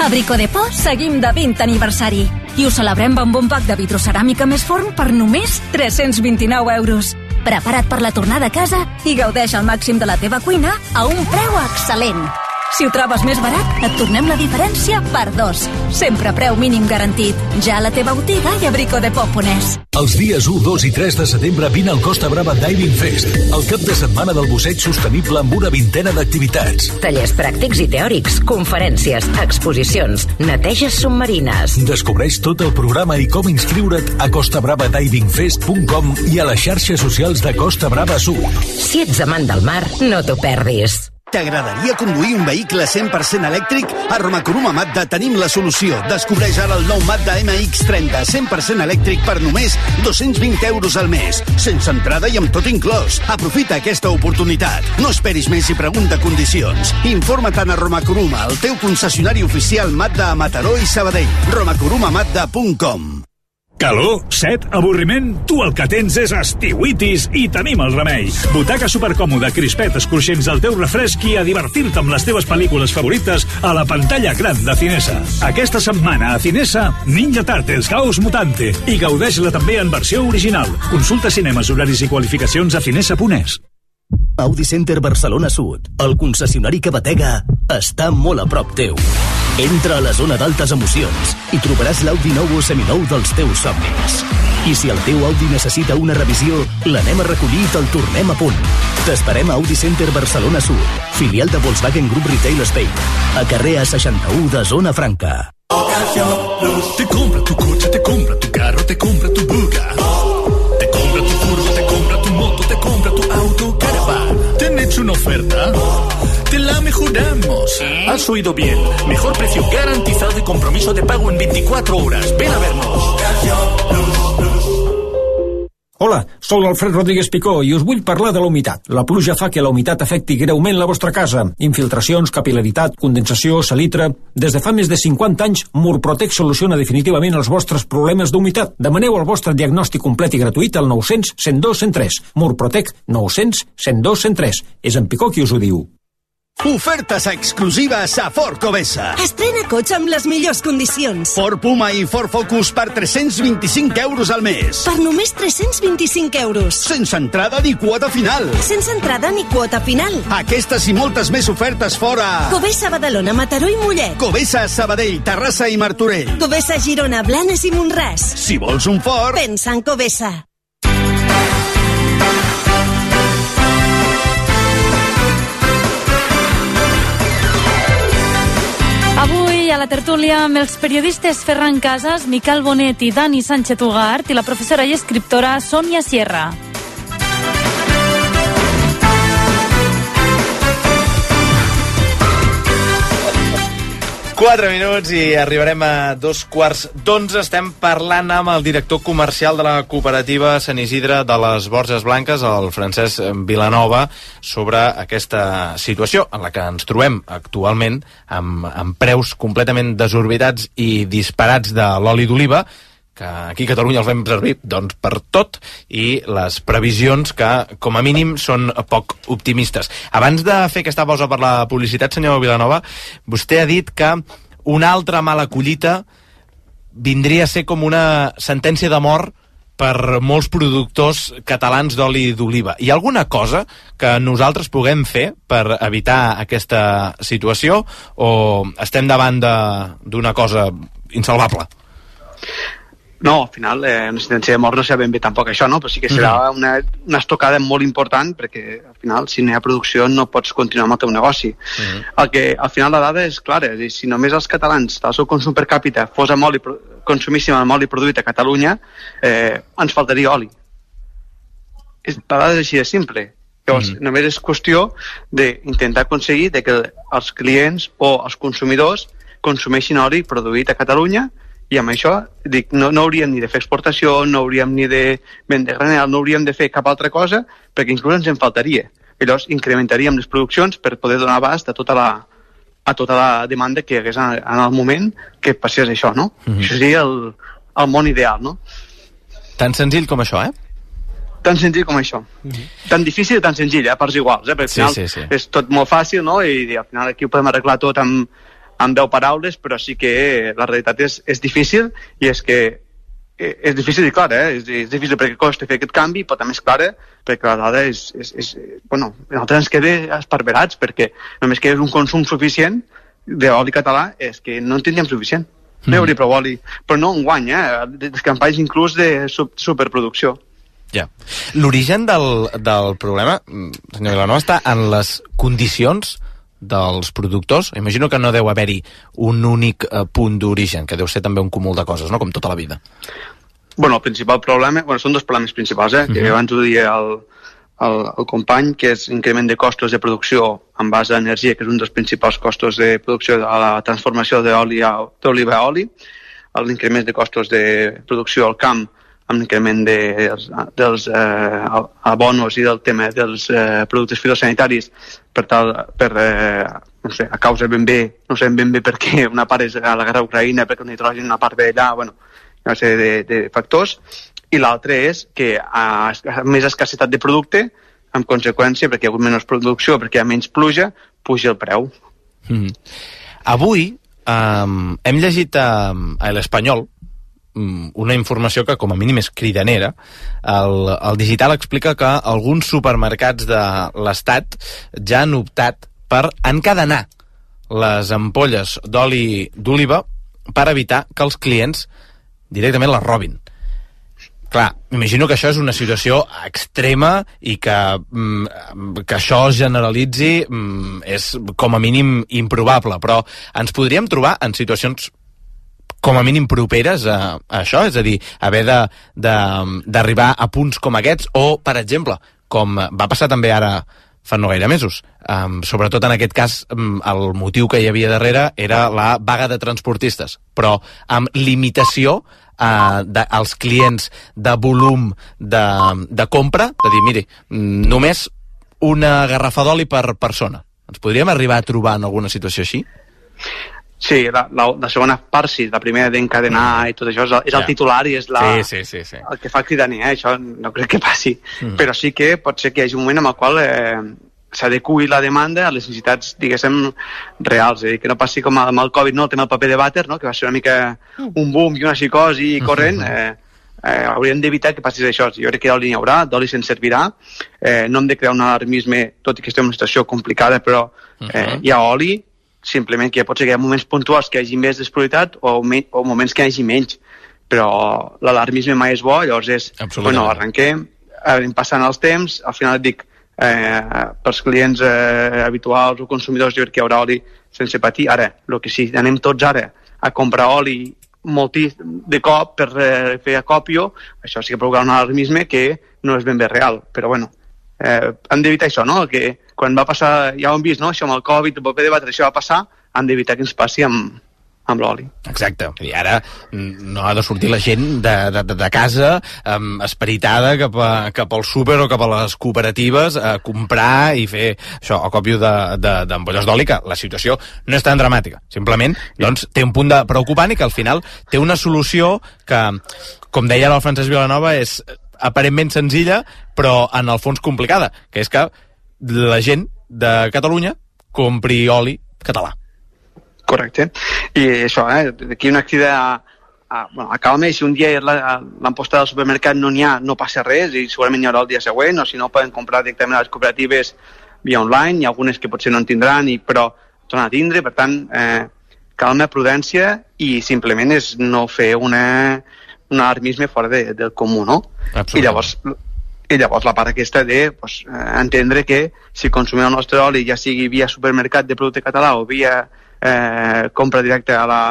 A Bricodepò seguim de vint aniversari i ho celebrem amb un pack de vitroceràmica més forn per només tres-cents vint-i-nou euros. Prepara't per la tornada a casa i gaudeix al màxim de la teva cuina a un preu excel·lent. Si ho trobes més barat, et tornem la diferència per dos. Sempre preu mínim garantit. Ja a la teva botiga i a bricodepò punt es. Els dies u, dos i tres de setembre vine al Costa Brava Diving Fest, el cap de setmana del busseig sostenible amb una vintena d'activitats. Tallers pràctics i teòrics, conferències, exposicions, neteges submarines. Descobreix tot el programa i com inscriure't a costa brava diving fest punt com i a les xarxes socials de Costa Brava Sud. Si ets amant del mar, no t'ho perdis. T'agradaria conduir un vehicle cent per cent elèctric? A Romacoruma Mazda tenim la solució. Descobreix ara el nou Mazda M X trenta, cent per cent elèctric per només dos-cents vint euros al mes. Sense entrada i amb tot inclòs. Aprofita aquesta oportunitat. No esperis més i pregunta condicions. Informa't a Romacoruma, el teu concessionari oficial Mazda a Mataró i Sabadell. romacoruma mazda punt com. Calor, set, avorriment? Tu el que tens és estiuitis i tenim el remei. Butaca supercòmoda, crispetes cruixents al teu refresc i a divertir-te amb les teves pel·lícules favorites a la pantalla gran de Cinesa. Aquesta setmana a Cinesa, Ninja Turtles Caos Mutante i gaudeix-la també en versió original. Consulta cinemes, horaris i qualificacions a cinesa punt es. Audi Center Barcelona Sud, el concessionari que batega, està molt a prop teu. Entra a la zona d'altes emocions i trobaràs l'Audi nou o seminou dels teus somnis. I si el teu Audi necessita una revisió, l'anem a recollir i te'l tornem a punt. T'esperem a Audi Center Barcelona Sud, filial de Volkswagen Group Retail Spain, a carrer A seixanta-u de Zona Franca. Te compra tu coche, te compra tu carro, te compra tu buga. Te compra tu furgo, te compra tu moto, te compra tu auto, caravan. ¿Te han hecho una oferta? Te la mejoramos. Has oído bien. Mejor precio garantizado y compromiso de pago en veinticuatro horas. Ven a vernos. Hola, soc l'Alfred Rodríguez Picó i us vull parlar de la humitat. La pluja fa que la humitat afecti greument la vostra casa. Infiltracions, capilaritat, condensació, salitre... Des de fa més de cinquanta anys, Murprotec soluciona definitivament els vostres problemes d'humitat. Demaneu el vostre diagnòstic complet i gratuït al nou cents, cent dos, cent tres. Murprotec nou cents, cent dos, cent tres. És en Picó qui us ho diu. Ofertes exclusives a Ford Covesa. Estrena cotxe amb les millors condicions. Ford Puma i Ford Focus per tres-cents vint-i-cinc euros al mes. Per només tres-cents vint-i-cinc euros. Sense entrada ni quota final. Sense entrada ni quota final. Aquestes i moltes més ofertes fora. Covesa, Badalona, Mataró i Mollet. Covesa, Sabadell, Terrassa i Martorell. Covesa, Girona, Blanes i Montràs. Si vols un Ford, pensa en Covesa. Avui a la tertúlia amb els periodistes Ferran Casas, Miquel Bonet i Dani Sánchez Ugart i la professora i escriptora Sònia Sierra. Quatre minuts i arribarem a dos quarts d'onze. Estem parlant amb el director comercial de la cooperativa Sant Isidre de les Borges Blanques, el Francesc Vilanova, sobre aquesta situació en la que ens trobem actualment amb, amb preus completament desorbitats i disparats de l'oli d'oliva, que aquí a Catalunya els fem servir doncs, per tot, i les previsions que, com a mínim, són poc optimistes. Abans de fer aquesta pausa per la publicitat, senyor Vilanova, vostè ha dit que una altra mala collita vindria a ser com una sentència de mort per molts productors catalans d'oli d'oliva. Hi ha alguna cosa que nosaltres puguem fer per evitar aquesta situació o estem davant d'una cosa insalvable? No, al final, eh, una sentència de mort no serà ben bé tampoc això, no? Però sí que serà una, una estocada molt important perquè, al final, si no hi ha producció no pots continuar amb el teu negoci. Uh-huh. El que, al final, la dada és clara. És dir, si només els catalans, el seu consum per càpita, fos amb oli, consumíssim amb oli produït a Catalunya, eh, ens faltaria oli. És, la dada és així de simple. Llavors, uh-huh. només és qüestió d'intentar aconseguir de que els clients o els consumidors consumeixin oli produït a Catalunya. I amb això, dic, no, no hauríem ni de fer exportació, no hauríem ni de vendre granel, no hauríem de fer cap altra cosa, perquè inclús ens en faltaria. I llavors incrementaríem les produccions per poder donar abast a tota la, a tota la demanda que hi hagués en, en el moment que passés això, no? Mm-hmm. Això seria el, el món ideal, no? Tan senzill com això, eh? Tan senzill com això. Mm-hmm. Tan difícil i tan senzill, eh? A parts iguals, eh? Perquè al final sí, sí, sí. és tot molt fàcil, no? I, i al final aquí ho podem arreglar tot amb amb deu paraules, però sí que la realitat és, és difícil, i és que és difícil i clar, eh? és, és difícil perquè costa fer aquest canvi, però també és clara perquè la dada és, és, és bueno, nosaltres ens queda esparverats, perquè només que és un consum suficient d'oli català, és que no en tindríem suficient. No hi hauria prou oli, però no en guany, eh? Les campanyes inclús de superproducció. Ja. L'origen del, del problema, senyor Vilanova, està en les condicions dels productors. Imagino que no deu haver-hi un únic eh, punt d'origen, que deu ser també un cúmul de coses, no? Com tota la vida. Bueno, el principal problema... Bueno, són dos problemes principals, eh? Uh-huh. Que abans ho deia el, el, el company, que és increment de costos de producció en base a energia, que és un dels principals costos de producció a la transformació d'oli a, d'oliva a oli, l'increment de costos de producció al camp, amb l'increment de, dels, dels eh, abonos i del tema dels eh, productes fitosanitaris per tal, per, eh, no sé, a causa ben bé, no sé ben bé per què, una part és a la guerra d'Ucraïna, perquè el nitrogen una part ve allà, bueno, una sèrie de, de factors, i l'altre és que a, a més escassetat de producte, en conseqüència, perquè hi ha hagut menys producció, perquè hi ha menys pluja, puja el preu. Mm. Avui um, hem llegit a, a l'Espanyol um, una informació que com a mínim és cridanera. El, el Digital explica que alguns supermercats de l'Estat ja han optat per encadenar les ampolles d'oli d'oliva per evitar que els clients directament les robin. Clar, m'imagino que això és una situació extrema i que, que això es generalitzi és com a mínim improbable, però ens podríem trobar en situacions com a mínim properes a, a això, és a dir, haver de, de, d'arribar a punts com aquests, o, per exemple, com va passar també ara fa no gaire mesos, um, sobretot en aquest cas um, el motiu que hi havia darrere era la vaga de transportistes, però amb limitació Uh, de, als clients de volum de, de compra, de dir, miri, només una garrafa d'oli per persona. Ens podríem arribar a trobar en alguna situació així? Sí, la, la, la segona part sí, la primera d'encadenar i tot això és el, és el titular i és la, sí, sí, sí, sí. el que fa cridaner, eh? Això no crec que passi. Mm. Però sí que pot ser que hi hagi un moment en el qual eh, s'adequi la demanda a les necessitats, diguéssim, reals. Eh? Que no passi com amb el Covid, no? El tema del paper de vàter, no? Que va ser una mica un boom i una psicosi corrent. Eh, eh, hauríem d'evitar que passi això. Jo crec que d'oli n'hi haurà, d'oli se'n servirà. Eh, no hem de crear un alarmisme, tot i que estem en una situació complicada, però eh, hi ha oli, simplement que pot ser que hi ha moments puntuals que hi hagi més disponibilitat o, me, o moments que hi hagi menys. Però l'alarmisme mai és bo, llavors és, bueno, arrenquem, anem passant els temps, al final et dic, Eh, pels clients eh, habituals o consumidors jo crec que hi haurà oli sense patir. Ara, el que sí, anem tots ara a comprar oli moltís de cop per eh, fer acòpio, això sí que provocarà un alarmisme que no és ben bé real, però bueno, eh, hem d'evitar això, no? Que quan va passar, ja ho hem vist, no? Això amb el Covid, el paper de vàter, això va passar, hem d'evitar que ens passi amb, amb l'oli. Exacte. I ara no ha de sortir la gent de, de, de casa um, esperitada cap, a, cap al súper o cap a les cooperatives a comprar i fer això, acòpio d'ampolles d'oli, que la situació no és tan dramàtica. Simplement, doncs, té un punt de preocupant i que al final té una solució que, com deia ara el Francesc Vilanova, és aparentment senzilla, però en el fons complicada, que és que la gent de Catalunya compri oli català. Correcte. I això, eh, d'aquí una crida a, a, bueno, a calma, i si un dia l'amposta del supermercat no n'hi ha, no passa res, i segurament hi haurà el dia següent, o si no poden comprar directament a les cooperatives via online, hi ha algunes que potser no en tindran, i, però tornen a tindre, per tant, eh, calma, prudència, i simplement és no fer una, un alarmisme fora de, del comú, no? I llavors, i llavors la part aquesta de pues, entendre que si consumim el nostre oli, ja sigui via supermercat de producte català o via eh, compra directa a la,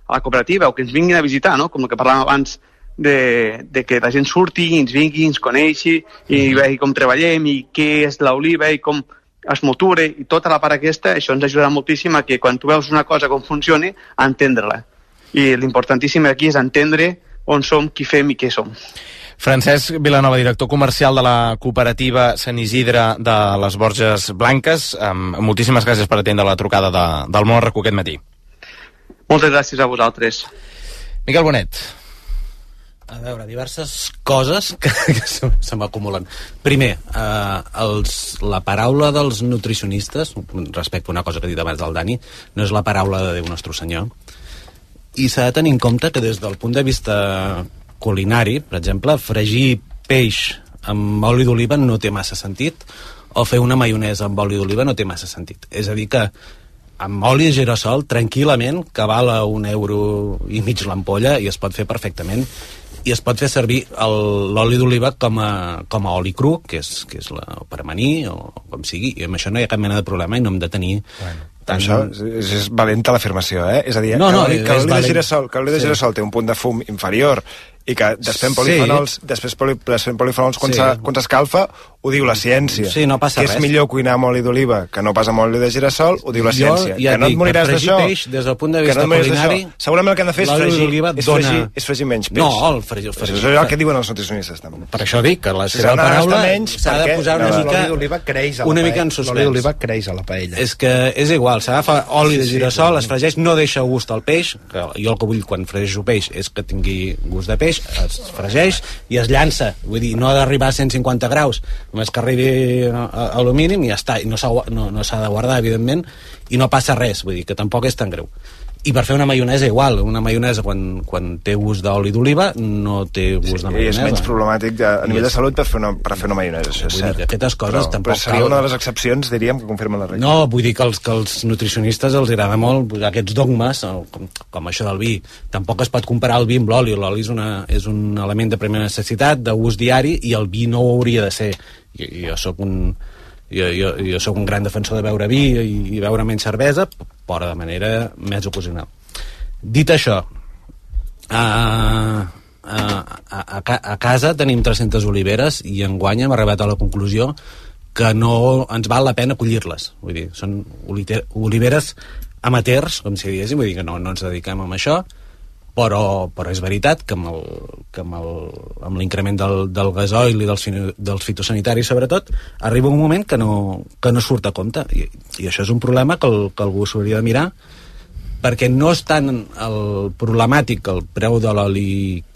a la cooperativa, o que ens vinguin a visitar, no? Com el que parlàvem abans de, de que la gent surti, ens vingui, ens coneixi i mm-hmm. vegi com treballem i què és l'oliva i com es moture, i tota la part aquesta, això ens ajudarà moltíssim a que quan tu veus una cosa com funciona, a entendre-la. I l'importantíssim aquí és entendre on som, qui fem i què som. Francesc Vilanova, director comercial de la cooperativa Sant Isidre de les Borges Blanques. Um, moltíssimes gràcies per atendre la trucada de, del Món R Q aquest matí. Moltes gràcies a vosaltres. Miquel Bonet. A veure, diverses coses que, que se, se m'acumulen. Primer, eh, els, la paraula dels nutricionistes, respecte a una cosa que ha dit abans del Dani, no és la paraula de Déu Nostre Senyor. I s'ha de tenir en compte que des del punt de vista culinari, per exemple, fregir peix amb oli d'oliva no té massa sentit, o fer una maionesa amb oli d'oliva no té massa sentit. És a dir que amb oli de girassol, tranquil·lament, que val a un euro i mig l'ampolla, i es pot fer perfectament, i es pot fer servir l'oli d'oliva com a, com a oli cru, que és, que és la, per amanir, o com sigui, i amb això no hi ha cap mena de problema i no hem de tenir... Bueno. Tant... Això és, és valenta l'afirmació, eh? És a dir, no, no, que l'oli de girassol, que l'oli de girassol té un punt de fum inferior i que després polifenols, sí. després poli, polifenols quan sí. s'escalfa, ho diu la ciència. Sí, no passa que res. És millor cuinar amb oli d'oliva que no pas amb oli de girassol, ho diu la jo, ciència. Ja que no et moriràs d'això. Peix, des del punt de vista no culinari... Segurament el que han de fer és fregir, és, dona... fregir, és fregir menys peix. No, el fregir... Això és el que diuen els nutricionistes, també. Per això dic que la seva paraula s'ha de posar una mica... L'oli d'oliva creix a la una paella. Mica en suspens. L'oli d'oliva creix a la paella. És que és igual, s'agafa oli de girassol, es fregeix, no deixa gust al peix, que jo el que vull quan fregeixo peix és que tingui gust de peix, es fregeix i es llança, vull dir, no ha d'arribar a cent cinquanta graus, només que arribi a, a lo mínim i ja està, i no s'ha no, no de guardar, evidentment, i no passa res, vull dir, que tampoc és tan greu. I per fer una maionesa igual, una maionesa quan, quan té gust d'oli d'oliva no té gust sí, de maionesa. I és menys problemàtic de, a nivell de salut per fer una, per fer una maionesa, això és vull cert. Dir que aquestes coses però, tampoc però seria cal... una de les excepcions, diríem, que confirmen la regla. No, vull dir que els, que els nutricionistes els agrada molt aquests dogmes, com, com això del vi. Tampoc es pot comparar el vi amb l'oli. L'oli és, una, és un element de primera necessitat, d'ús diari, i el vi no ho hauria de ser. Jo, jo sóc un... Jo, jo, jo sóc un gran defensor de beure vi i, i beure menys cervesa, però de manera més ocasional. Dit això, a, a, a, a casa tenim tres-centes oliveres i enguany hem arribat a la conclusió que no ens val la pena collir-les. Vull dir, són oliveres amateurs, com si diguéssim, vull dir que no, no ens dediquem a això, però, però és veritat que amb, el, que amb, el, amb l'increment del, del gasoil i dels, dels fitosanitaris sobretot arriba un moment que no, que no surt a compte i, i això és un problema que, el, que algú s'hauria de mirar, perquè no és tant el problemàtic que el preu de l'oli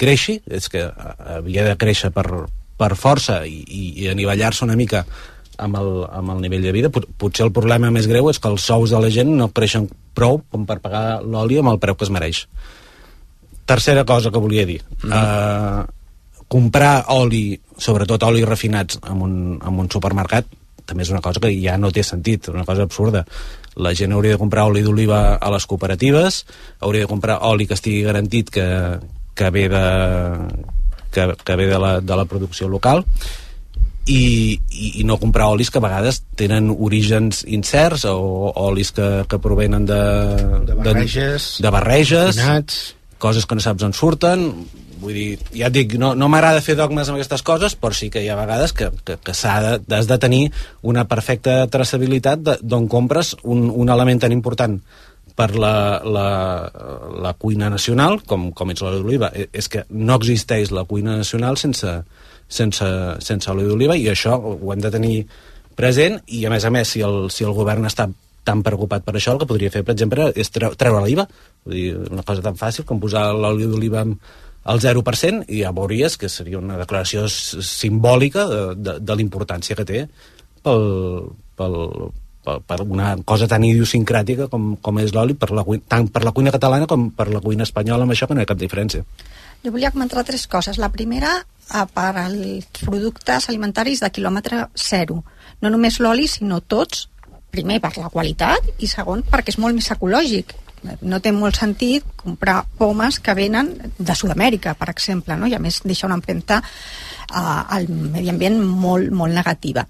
creixi, és que havia de créixer per, per força i, i, i anivellar-se una mica amb el, amb el nivell de vida. Potser el problema més greu és que els sous de la gent no creixen prou com per pagar l'oli amb el preu que es mereix. Tercera cosa que volia dir, mm. uh, comprar oli, sobretot oli refinats en un, en un supermercat també és una cosa que ja no té sentit, una cosa absurda. La gent hauria de comprar oli d'oliva a les cooperatives, hauria de comprar oli que estigui garantit que, que ve de que, que ve de la, de la producció local i, i, i no comprar olis que a vegades tenen orígens incerts o, o olis que, que provenen de, de barreges, de, de barreges refinats, coses que no saps on surten. Vull dir, ja et dic, no, no m'agrada fer dogmes amb aquestes coses, però sí que hi ha vegades que, que, que s'ha de, has de tenir una perfecta traçabilitat d'on compres un, un element tan important per la, la, la cuina nacional, com, com és l'oli d'oliva. És que no existeix la cuina nacional sense, sense, sense oli d'oliva, i això ho hem de tenir present, i a més a més, si el, si el govern està tan preocupat per això, el que podria fer, per exemple, és treure l'I V A. Vull dir, una cosa tan fàcil com posar l'oli d'oliva al zero per cent i ja veuries que seria una declaració simbòlica de, de, de l'importància que té pel, pel, per, per una cosa tan idiosincràtica com, com és l'oli, per la, tant per la cuina catalana com per la cuina espanyola, amb això que no hi ha cap diferència. Jo volia comentar tres coses. La primera, per als productes alimentaris de quilòmetre zero. No només l'oli, sinó tots. Primer, per la qualitat, i segon, perquè és molt més ecològic. No té molt sentit comprar pomes que venen de Sud-amèrica, per exemple, no? I a més deixa una empremta uh, al medi ambient molt, molt negativa.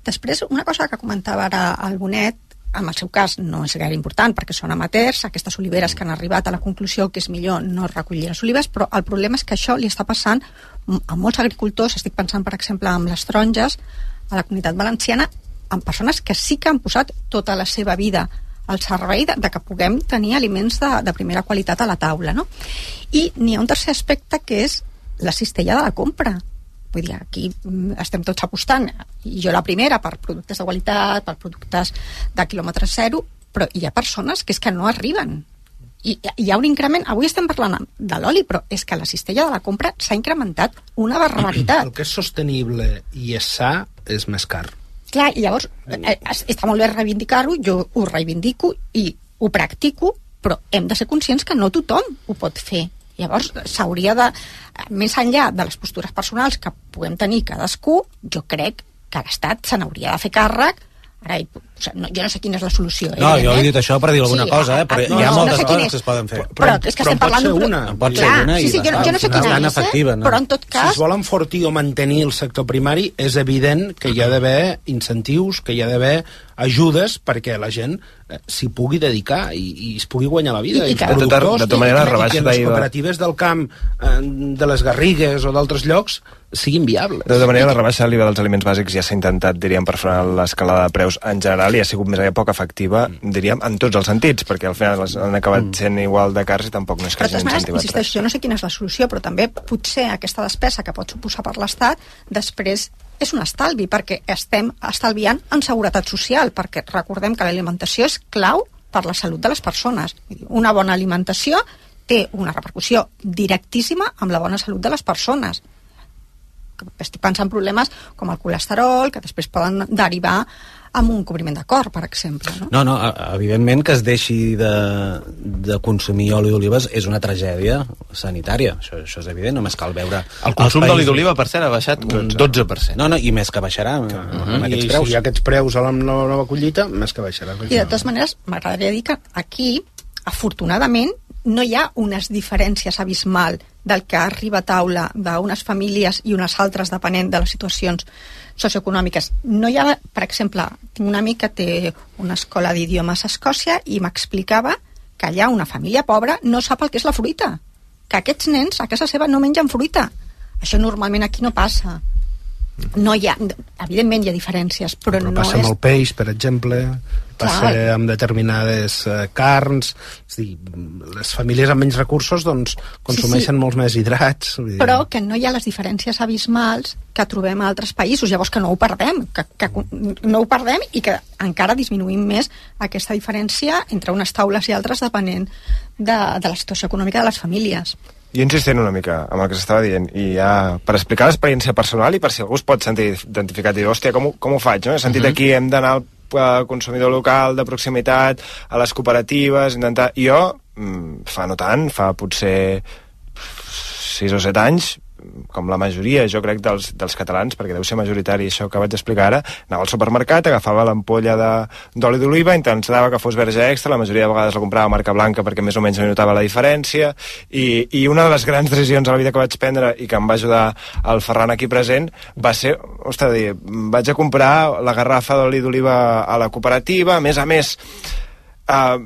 Després, una cosa que comentava ara el Bonet, en el seu cas no és gaire important perquè són amateurs, aquestes oliveres que han arribat a la conclusió que és millor no recollir les olives, però el problema és que això li està passant a molts agricultors. Estic pensant, per exemple, amb les taronges a la Comunitat Valenciana, amb persones que sí que han posat tota la seva vida al servei de, de que puguem tenir aliments de, de primera qualitat a la taula, no? I n'hi ha un tercer aspecte que és la cistella de la compra. Vull dir, aquí estem tots apostant, i jo la primera, per productes de qualitat, per productes de quilòmetre zero, però hi ha persones que és que no arriben. I hi ha un increment, avui estem parlant de l'oli, però és que la cistella de la compra s'ha incrementat una barbaritat. El que és sostenible i és sa és més car. Clar, i llavors eh, està molt bé reivindicar-ho, jo ho reivindico i ho practico, però hem de ser conscients que no tothom ho pot fer. Llavors s'hauria de, més enllà de les postures personals que puguem tenir cadascú, jo crec que l'Estat se n'hauria de fer càrrec. Ara hi O sigui, no, jo no sé quina és la solució. No, jo he dit això per dir alguna sí, cosa, eh? Però no, hi ha no, moltes no sé coses és, que es poden fer. Però, però és que estem parlant d'un... Una. Pot ser Clar, una sí, sí, i jo, jo no sé quina és, efectiva, no? però en tot cas... Si es vol enfortir o mantenir el sector primari, és evident que hi ha d'haver incentius, que hi ha d'haver ajudes perquè la gent eh, s'hi pugui dedicar i, i es pugui guanyar la vida. I, i, I, i de tota, de tota manera, la rebaixa i que les cooperatives del camp, eh, de les Garrigues o d'altres llocs siguin viables. De tota manera, la rebaixa de l'I V A dels aliments bàsics ja s'ha intentat, diríem, per frenar l'escalada de preus en general i ha sigut més aviat poc efectiva, diríem, en tots els sentits, perquè al final han acabat sent igual de cars i tampoc no és que hagin incentivat res. Insisteixo, jo no sé quina és la solució, però també potser aquesta despesa que pot suposar per l'Estat després és un estalvi, perquè estem estalviant en seguretat social, perquè recordem que l'alimentació és clau per la salut de les persones. Una bona alimentació té una repercussió directíssima amb la bona salut de les persones. Estic pensant en problemes com el colesterol, que després poden derivar amb un cobriment de cor, per exemple. No, no, no evidentment que es deixi de, de consumir oli d'olives és una tragèdia sanitària, això, això és evident, només cal veure... El consum d'oli d'oliva, per cert, ha baixat un dotze per cent. No, no, i més que baixarà amb, uh-huh. amb aquests I preus. si hi ha aquests preus a la nova collita, més que baixarà. I de totes maneres, m'agradaria dir que aquí, afortunadament, no hi ha unes diferències abismal del que arriba a taula d'unes famílies i unes altres depenent de les situacions socioeconòmiques. No hi ha, per exemple, tinc un amic que té una escola d'idiomes a Escòcia i m'explicava que allà una família pobra no sap el que és la fruita, que aquests nens a casa seva no mengen fruita. Això normalment aquí no passa. No hi ha, evidentment hi ha diferències, però, però no passa és... amb el peix, per exemple, passa Clar. amb determinades uh, carns, és dir, les famílies amb menys recursos doncs consumeixen sí, sí. molts més hidrats. Vull dir... Però que no hi ha les diferències abismals que trobem a altres països, llavors que no ho perdem, que, que no ho perdem i que encara disminuïm més aquesta diferència entre unes taules i altres depenent de, de la situació econòmica de les famílies. Jo insistint una mica amb el que s'estava dient, i ja per explicar l'experiència personal i per si algú es pot sentir identificat i dir, hòstia, com, com ho faig? No? He sentit uh-huh. aquí, hem d'anar al consumidor local, de proximitat, a les cooperatives, intentar... Jo, fa no tant, fa potser sis o set anys, com la majoria, jo crec, dels, dels catalans, perquè deu ser majoritari això que vaig explicar ara, anava al supermercat, agafava l'ampolla d'oli d'oliva, intentava que fos verge extra, la majoria de vegades la comprava marca blanca perquè més o menys no notava la diferència, i, i una de les grans decisions a la vida que vaig prendre i que em va ajudar el Ferran aquí present va ser, ostres, dir, vaig a comprar la garrafa d'oli d'oliva a la cooperativa, a més a més Uh,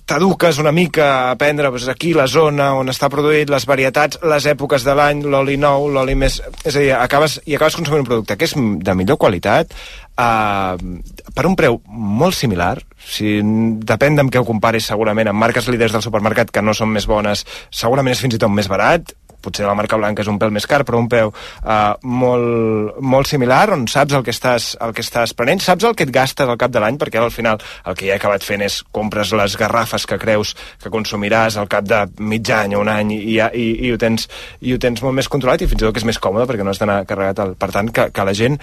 t'eduques una mica a aprendre doncs, aquí la zona on està produït, les varietats, les èpoques de l'any, l'oli nou, l'oli més... És a dir, acabes, i acabes consumint un producte que és de millor qualitat, uh, per un preu molt similar. Si depèn d'amb què ho comparis, segurament amb marques líders del supermercat que no són més bones, segurament és fins i tot més barat. Potser la marca blanca és un pèl més car, però un peu uh, molt, molt similar, on saps el que, estàs, el que estàs prenent, saps el que et gastes al cap de l'any, perquè al final el que ja he acabat fent és compres les garrafes que creus que consumiràs al cap de mig any o un any i, i, i, ho, tens, i ho tens molt més controlat i fins i tot que és més còmode perquè no has d'anar carregat. El, per tant, que, que la gent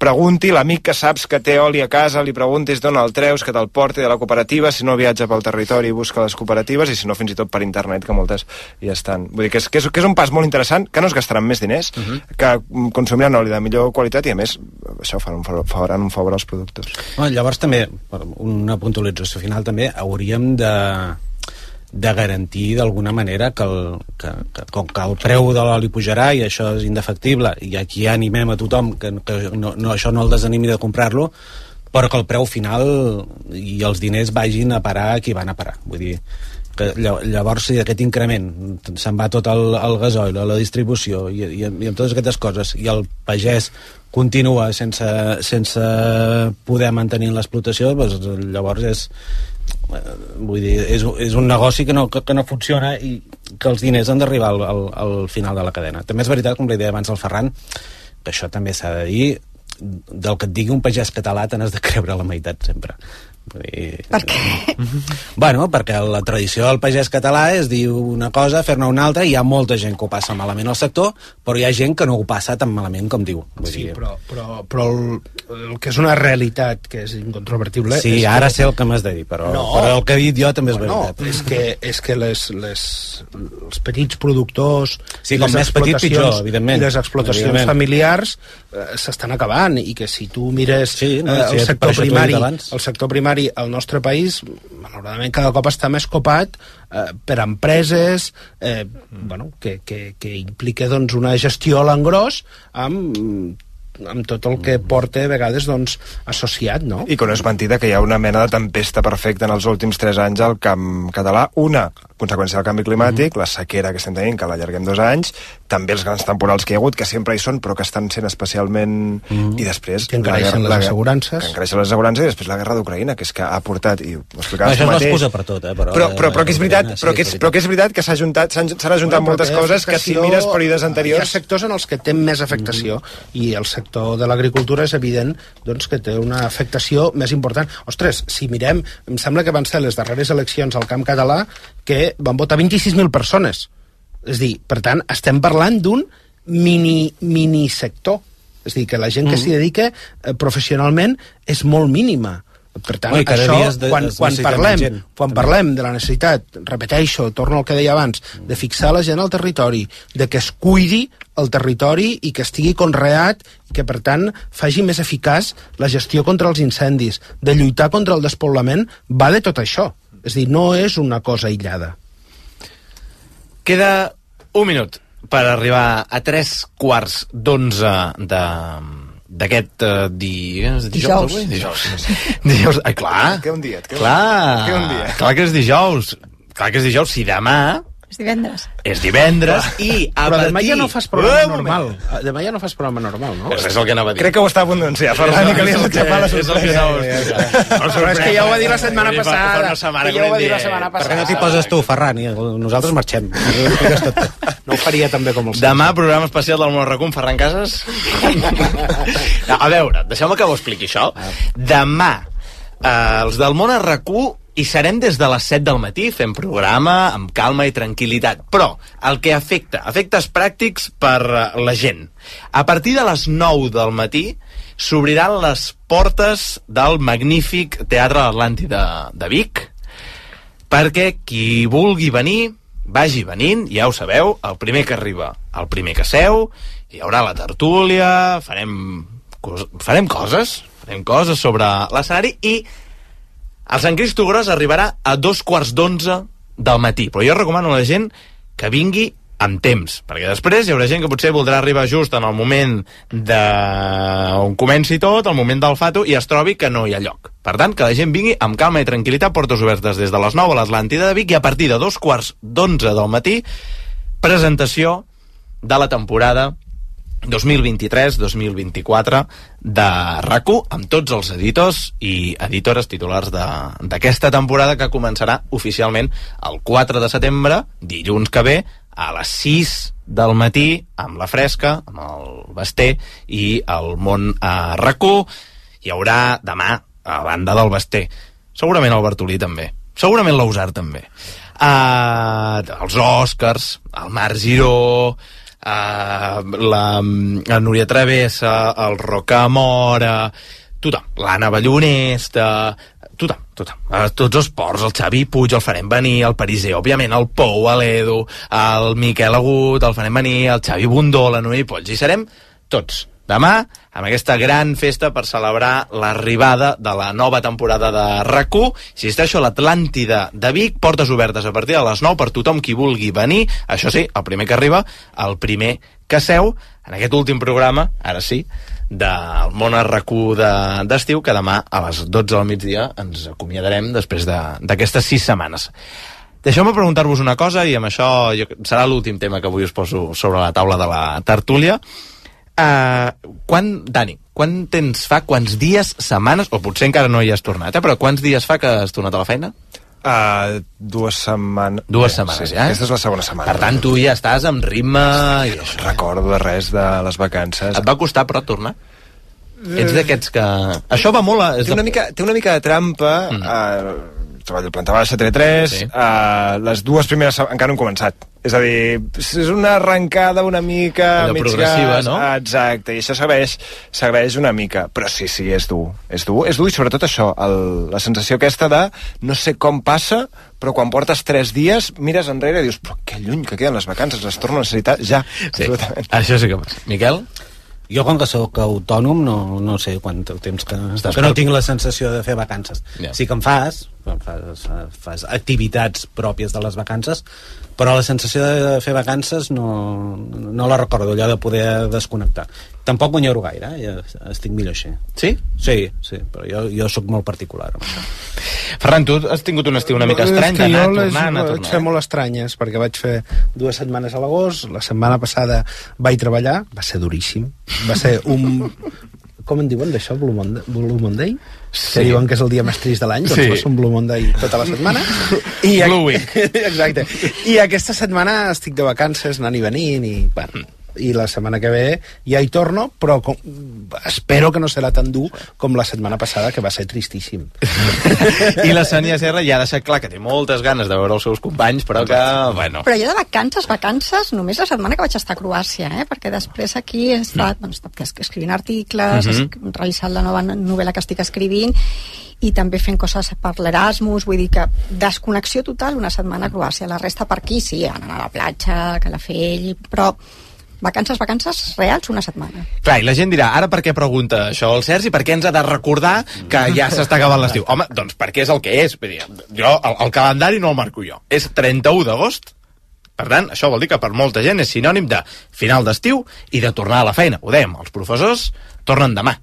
pregunti, l'amic que saps que té oli a casa, li preguntis d'on el treus, que te'l porti de la cooperativa, si no viatja pel territori i busca les cooperatives, i si no fins i tot per internet, que moltes hi estan. Vull dir que és, que és, que és un pas molt interessant, que no es gastaran més diners, uh-huh. que consumiran oli de millor qualitat i a més això faran un favor, faran un favor als productors. Bueno, llavors també, una puntualització final també, hauríem de de garantir d'alguna manera que, el, que, que com que el preu de l'oli pujarà i això és indefectible i aquí animem a tothom que, que no, no, això no el desanimi de comprar-lo, però que el preu final i els diners vagin a parar a qui van a parar. Vull dir que llavors si aquest increment se'n va tot el, el gasoil, a la distribució i, i, i amb totes aquestes coses i el pagès continua sense, sense poder mantenir l'explotació, doncs llavors és vull dir, és, és un negoci que no, que, que no funciona i que els diners han d'arribar al, al, al final de la cadena. També és veritat, com li deia abans al Ferran, que això també s'ha de dir, del que et digui un pagès català te n'has de creure la meitat sempre, Per què? Bueno, perquè la tradició del pagès català és dir una cosa, fer-ne una altra, i hi ha molta gent que ho passa malament al sector, però hi ha gent que no ho passa tan malament com diu. Vull Sí, dir... però, però, però el, el que és una realitat que és incontrovertible... Sí, és ara que... sé el que m'has de dir, però, no, però el que he dit jo també és no, veritat. és que, és que les, les, els petits productors... Sí, com més petit, pitjor, evidentment. I les explotacions Evidentment. familiars eh, s'estan acabant, i que si tu mires sí, no, eh, sí, el, sector primari, abans. el sector primari al nostre país, malauradament cada cop està més copat eh, per empreses eh, bueno, que, que, que implica doncs, una gestió a l'engròs amb amb tot el que porta a vegades doncs, associat, no? I que no és mentida que hi ha una mena de tempesta perfecta en els últims tres anys al camp català. Una, conseqüència del canvi climàtic, mm-hmm. la sequera que estem tenint, que l'allarguem dos anys, també els grans temporals que hi ha hagut, que sempre hi són, però que estan sent especialment... Mm-hmm. I després... Que encareixen les assegurances. Que encareixen les assegurances, i després la guerra d'Ucraïna, que és que ha portat... I ho explicaves això tu és mateix. l'excusa per tot, eh? Però, però, però, però, que és veritat, sí, però, que és, però que és veritat que s'ha ajuntat, s'han ajuntat bueno, moltes coses que si mires períodes anteriors... Hi ha sectors en els que té més afectació, mm-hmm. i el sector de l'agricultura és evident doncs, que té una afectació més important. Ostres, si mirem, em sembla que van ser les darreres eleccions al camp català que van votar vint-i-sis mil persones. És dir, per tant, estem parlant d'un mini, mini sector. És dir, que la gent que mm. s'hi dedica eh, professionalment és molt mínima. Per tant, Oi, això, de, quan, de, quan, parlem, quan parlem de la necessitat, repeteixo, torno al que deia abans, de fixar la gent al territori, de que es cuidi el territori i que estigui conreat i que, per tant, faci més eficaç la gestió contra els incendis, de lluitar contra el despoblament, va de tot això. És dir, no és una cosa aïllada. Queda un minut per arribar a tres quarts d'onze de... d'aquest uh, di... dijous. Dijous. Dijous. dijous. Ai, clar. Que un dia. Que clar. Que un dia. Clar que és dijous. Clar que és dijous. Si demà... És divendres. És divendres i a Però partir... demà ja no fas programa normal. Demà ja no fas programa normal, no? És, és el que anava a dir. Crec que ho està a punt d'anunciar, Ferran, i que li has aixafat la sorpresa. És el que anava a explicar. Però és que ja ho va dir la setmana passada. Que ja ho va dir la setmana Per què passada. no t'hi poses tu, Ferran? I nosaltres marxem. No ho faria també com el Demà, programa especial del Món Racó amb Ferran Casas. A veure, deixeu-me que ho expliqui, això. Demà, eh, els del Món Racó i serem des de les set del matí fent programa amb calma i tranquil·litat. Però el que afecta, efectes pràctics per la gent. A partir de les nou del matí s'obriran les portes del magnífic Teatre Atlàntida de Vic perquè qui vulgui venir vagi venint, ja ho sabeu, el primer que arriba, el primer que seu, hi haurà la tertúlia, farem, farem coses, farem coses sobre l'escenari i el Sant Cristo Gros arribarà a dos quarts d'onze del matí, però jo recomano a la gent que vingui amb temps, perquè després hi haurà gent que potser voldrà arribar just en el moment de... on comenci tot, el moment del fato, i es trobi que no hi ha lloc. Per tant, que la gent vingui amb calma i tranquil·litat, portes obertes des de les nou a l'Atlàntida de Vic, i a partir de dos quarts d'onze del matí, presentació de la temporada dos mil vint-i-tres dos mil vint-i-quatre de RAC1, amb tots els editors i editores titulars d'aquesta temporada, que començarà oficialment el quatre de setembre, dilluns que ve, a les sis del matí, amb la Fresca, amb el Basté i el Món a RAC1. Hi haurà demà, a banda del Basté, segurament el Bartolí també, segurament l'Ausar també, uh, els Oscars, el Marc Giró, Uh, la, la Núria Travessa, el Rocamora, tothom, l'Anna Ballonesta, tothom, tothom, uh, tots els ports, el Xavi Puig el farem venir, el Pariser, òbviament, el Pou, l'Edu, el Miquel Agut el farem venir, el Xavi Bundó, la Núria Polls, i serem tots demà amb aquesta gran festa per celebrar l'arribada de la nova temporada de RAC1. Insisteixo, a l'Atlàntida de Vic, portes obertes a partir de les nou per tothom qui vulgui venir. Això sí, el primer que arriba, el primer que seu, en aquest últim programa, ara sí, del Món RAC1 d'estiu, que demà a les dotze del migdia ens acomiadarem després d'aquestes sis setmanes. Deixeu-me preguntar-vos una cosa, i amb això jo, serà l'últim tema que avui us poso sobre la taula de la tertúlia. Uh, quan, Dani, quan temps fa, quants dies, setmanes, o potser encara no hi has tornat, eh, però quants dies fa que has tornat a la feina? Uh, dues setmanes. Dues setmanes, sí, ja? Aquesta és la segona setmana. Per tant, tu ja estàs amb ritme... I no recordo de res de les vacances. Et va costar, però, tornar? ets d'aquests que... Això va molt a... Té una mica, té una mica de trampa... Mm. Uh, treballo planta baixa, T V tres, sí. uh, les dues primeres encara no han començat. És a dir, és una arrencada una mica... Allò progressiva, gas, no? Exacte, i això s'agraeix, s'agraeix una mica. Però sí, sí, és dur. És dur, és dur i sobretot això, el, la sensació aquesta de no sé com passa, però quan portes tres dies mires enrere i dius, però que lluny que queden les vacances, les torno a necessitar ja. Sí, això sí que passa. Miquel? Jo, com que sóc autònom, no, no sé quant temps que estàs, que no tinc la sensació de fer vacances. Yeah. Sí que en fas, fas, fas activitats pròpies de les vacances, però la sensació de fer vacances no, no la recordo, allò de poder desconnectar. Tampoc m'enyoro gaire, eh? Ja estic millor així. Sí? Sí, sí, però jo, jo sóc molt particular amb això. Ferran, tu has tingut un estiu una mica estrany, d'anar tornant, a tornar. Vaig fer molt estranyes, perquè vaig fer dues setmanes a l'agost, la setmana passada vaig treballar, va ser duríssim, va ser un... Com en diuen d'això, Blue Monday? Blue Monday? Sí. Que diuen que és el dia més trist de l'any, doncs sí. Va ser un Blue Monday tota la setmana. I Blue Week. Exacte. I aquesta setmana estic de vacances, anant i venint, i bueno... i la setmana que ve ja hi torno, però com, espero que no serà tan dur com la setmana passada, que va ser tristíssim. I la Sònia Serra ja ha deixat clar que té moltes ganes de veure els seus companys, però que, bueno... Però jo de vacances, vacances, només la setmana que vaig estar a Croàcia, eh? Perquè després aquí he estat, mm. bueno, he estat escrivint articles, mm -hmm. he revisat la nova novel·la que estic escrivint, i també fent coses per l'Erasmus, vull dir que desconnexió total una setmana a Croàcia. La resta per aquí, sí, anar a la platja, a Calafell, però... Vacances, vacances reals, una setmana. Clar, i la gent dirà, ara per què pregunta això el Sergi? Per què ens ha de recordar que ja s'està acabant l'estiu? Home, doncs perquè és el que és. Vull dir, jo, el, el calendari no el marco jo. És trenta-u d'agost. Per tant, això vol dir que per molta gent és sinònim de final d'estiu i de tornar a la feina. Ho dèiem, els professors tornen demà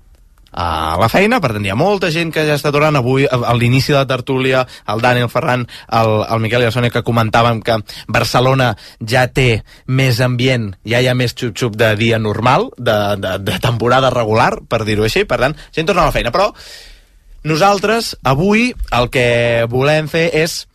a la feina, per tant hi ha molta gent que ja està tornant avui, a l'inici de la tertúlia, el Dani, el Ferran, el, el Miquel i la Sònia, que comentàvem que Barcelona ja té més ambient, ja hi ha més xup-xup de dia normal, de, de, de temporada regular, per dir-ho així, per tant, gent torna a la feina, però nosaltres avui el que volem fer és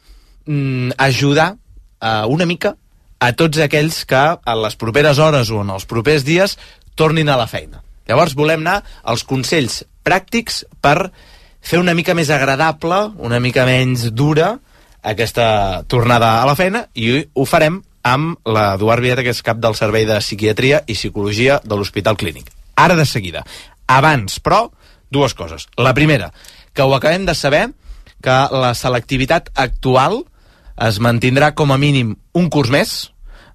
mm, ajudar uh, una mica a tots aquells que en les properes hores o en els propers dies tornin a la feina. Llavors volem anar als consells pràctics per fer una mica més agradable, una mica menys dura aquesta tornada a la feina, i ho farem amb l'Eduard Vieta, que és cap del Servei de Psiquiatria i Psicologia de l'Hospital Clínic. Ara de seguida. Abans, però, dues coses. La primera, que ho acabem de saber, que la selectivitat actual es mantindrà com a mínim un curs més.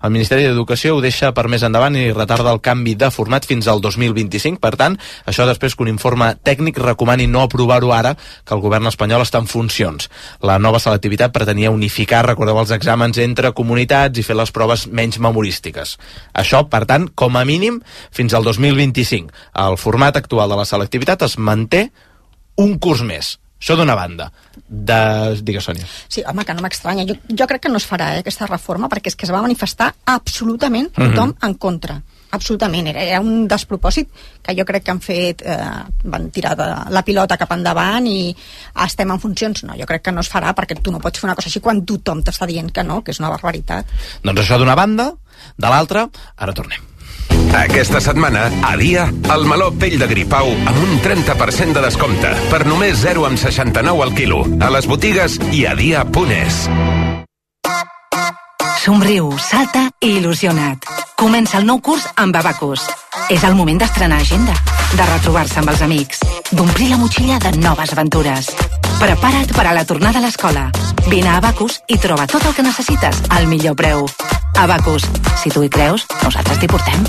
El Ministeri d'Educació ho deixa per més endavant i retarda el canvi de format fins al dos mil vint-i-cinc. Per tant, això després que un informe tècnic recomani no aprovar-ho ara, que el govern espanyol està en funcions. La nova selectivitat pretenia unificar, recordeu, els exàmens entre comunitats i fer les proves menys memorístiques. Això, per tant, com a mínim, fins al dos mil vint-i-cinc. El format actual de la selectivitat es manté un curs més. Això d'una banda. De... Digues, Sònia. Sí, home, que no m'estranya. Jo, jo crec que no es farà, eh, aquesta reforma, perquè és que es va manifestar absolutament tothom mm-hmm. en contra. Absolutament. Era, era un despropòsit que jo crec que han fet... Eh, van tirar de la pilota cap endavant i estem en funcions. No, jo crec que no es farà, perquè tu no pots fer una cosa així quan tothom t'està dient que no, que és una barbaritat. Doncs això d'una banda. De l'altra, ara tornem. Aquesta setmana, a Dia, el meló pell de gripau amb un trenta per cent de descompte per només zero coma seixanta-nou al quilo a les botigues i a dia punt es. Somriu, salta i il·lusiona't. Comença el nou curs amb Abacus. És el moment d'estrenar agenda, de retrobar-se amb els amics, d'omplir la motxilla de noves aventures. Prepara't per a la tornada a l'escola. Vine a Abacus i troba tot el que necessites al millor preu. Abacus, si tu hi creus, nosaltres t'hi portem.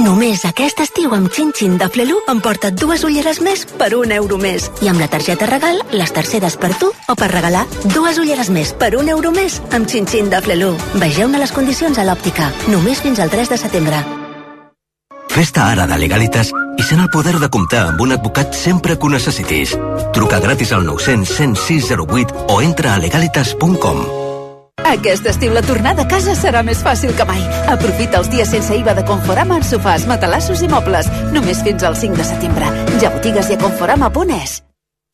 Només aquest estiu amb Xin-Xin de Flelu emporta't dues ulleres més per un euro més. I amb la targeta regal, les terceres per tu o per regalar dues ulleres més per un euro més amb Xin-Xin de Flelu. Vegeu-ne les condicions a l'òptica. Només fins al tres de setembre. Fes-te ara de Legalitas i sent el poder de comptar amb un advocat sempre que ho necessitis. Truca gratis al nou cents, cent sis zero vuit o entra a legalitas punt com. Aquest estiu la tornada a casa serà més fàcil que mai. Aprofita els dies sense I V A de Conforama en sofàs, matalassos i mobles. Només fins al cinc de setembre. Ja botigues i a conforama punt es.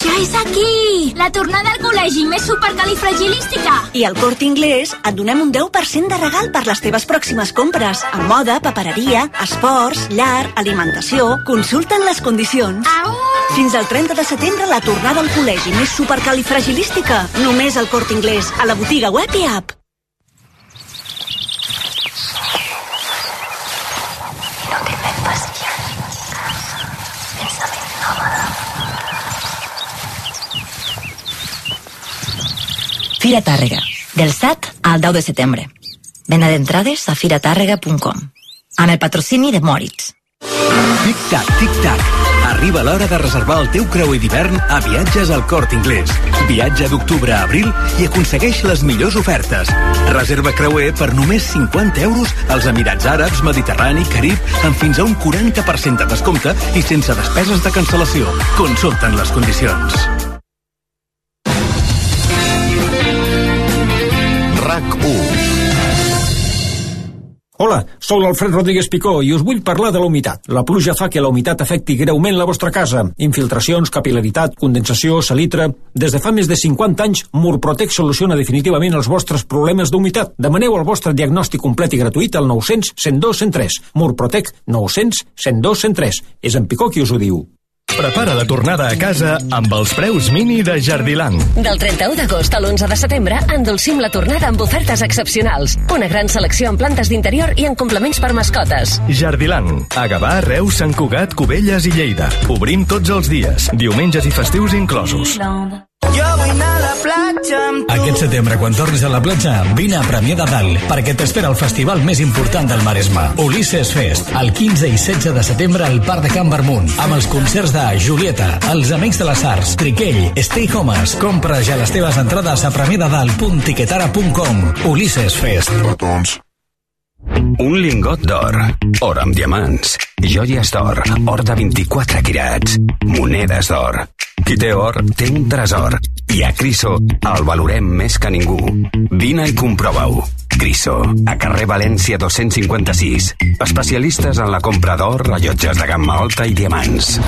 Ja és aquí! La tornada al col·legi més supercalifragilística! I al Corte Inglés et donem un deu per cent de regal per les teves pròximes compres. A moda, papereria, esports, llar, alimentació... Consulta'n les condicions. Au! Fins al trenta de setembre la tornada al col·legi més supercalifragilística. Només al Corte Inglés, a la botiga web i app. Fira Tàrrega, del set al deu de setembre. Venda d'entrades a fira tàrrega punt com. Amb el patrocini de Moritz. Tic-tac, tic-tac. Arriba l'hora de reservar el teu creuer d'hivern a Viatges al Corte Inglés. Viatja d'octubre a abril i aconsegueix les millors ofertes. Reserva creuer per només cinquanta euros als Emirats Àrabs, Mediterrani, Carib, amb fins a un quaranta per cent de descompte i sense despeses de cancel·lació. Consulta'n les condicions. RAC u. Hola, sóc l'Alfred Rodríguez Picó i us vull parlar de la humitat. La pluja fa que la humitat afecti greument la vostra casa. Infiltracions, capil·laritat, condensació, salitre... Des de fa més de cinquanta anys, Murprotec soluciona definitivament els vostres problemes d'humitat. Demaneu el vostre diagnòstic complet i gratuït al nou cents, cent dos, cent tres. Murprotec nou cents, cent dos, cent tres. És en Picó qui us ho diu. Prepara la tornada a casa amb els preus mini de Jardiland. Del trenta-u d'agost a l'onze de setembre endolcim la tornada amb ofertes excepcionals. Una gran selecció en plantes d'interior i en complements per mascotes. Jardiland. A Gavà, Reus, Sant Cugat, Cubelles i Lleida. Obrim tots els dies, diumenges i festius inclosos. Jo vull anar a la platja amb tu. Aquest setembre, quan tornis a la platja, vine a Premià de Dalt, perquè t'espera el festival més important del Maresme, Ulisses Fest, el quinze i setze de setembre al Parc de Can Barmunt, amb els concerts de Julieta, Els Amics de les Arts, Triquell, Stay Homes. Compra ja les teves entrades a premiadadalt punt tiquetara punt com. Ulisses Fest. Petons. Un lingot d'or, or amb diamants, joies d'or, or de vint-i-quatre quirats, monedes d'or. Qui té or, té un tresor. I a Criso el valorem més que ningú. Vine i comprova-ho. Criso, a carrer València dos-cents cinquanta-sis. Especialistes en la compra d'or, rellotges de gamma alta i diamants.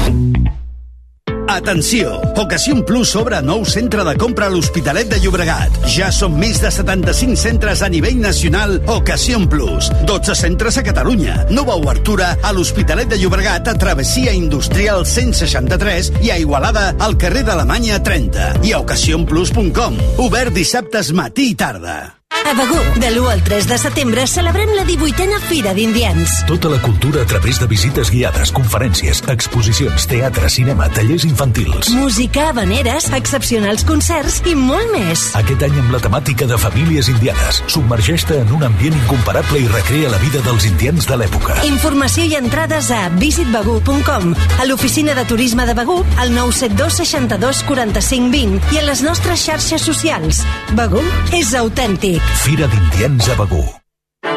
Atenció! Ocasión Plus obre nou centre de compra a l'Hospitalet de Llobregat. Ja són més de setanta-cinc centres a nivell nacional Ocasión Plus. dotze centres a Catalunya. Nova obertura a l'Hospitalet de Llobregat a Travessia Industrial cent seixanta-tres i a Igualada al carrer d'Alemanya trenta. I a ocasión plus punt com. Obert dissabtes matí i tarda. A Begur, de l'u al tres de setembre, celebrem la divuitena Fira d'Indians. Tota la cultura a través de visites guiades, conferències, exposicions, teatre, cinema, tallers infantils. Música, habaneres, excepcionals concerts i molt més. Aquest any amb la temàtica de famílies indianes. Submergeix-te en un ambient incomparable i recrea la vida dels indians de l'època. Informació i entrades a visit begur punt com, a l'oficina de turisme de Begur, al nou set dos seixanta-dos quaranta-cinc vint i a les nostres xarxes socials. Begur és autèntic. Fira d'Indians a Begur.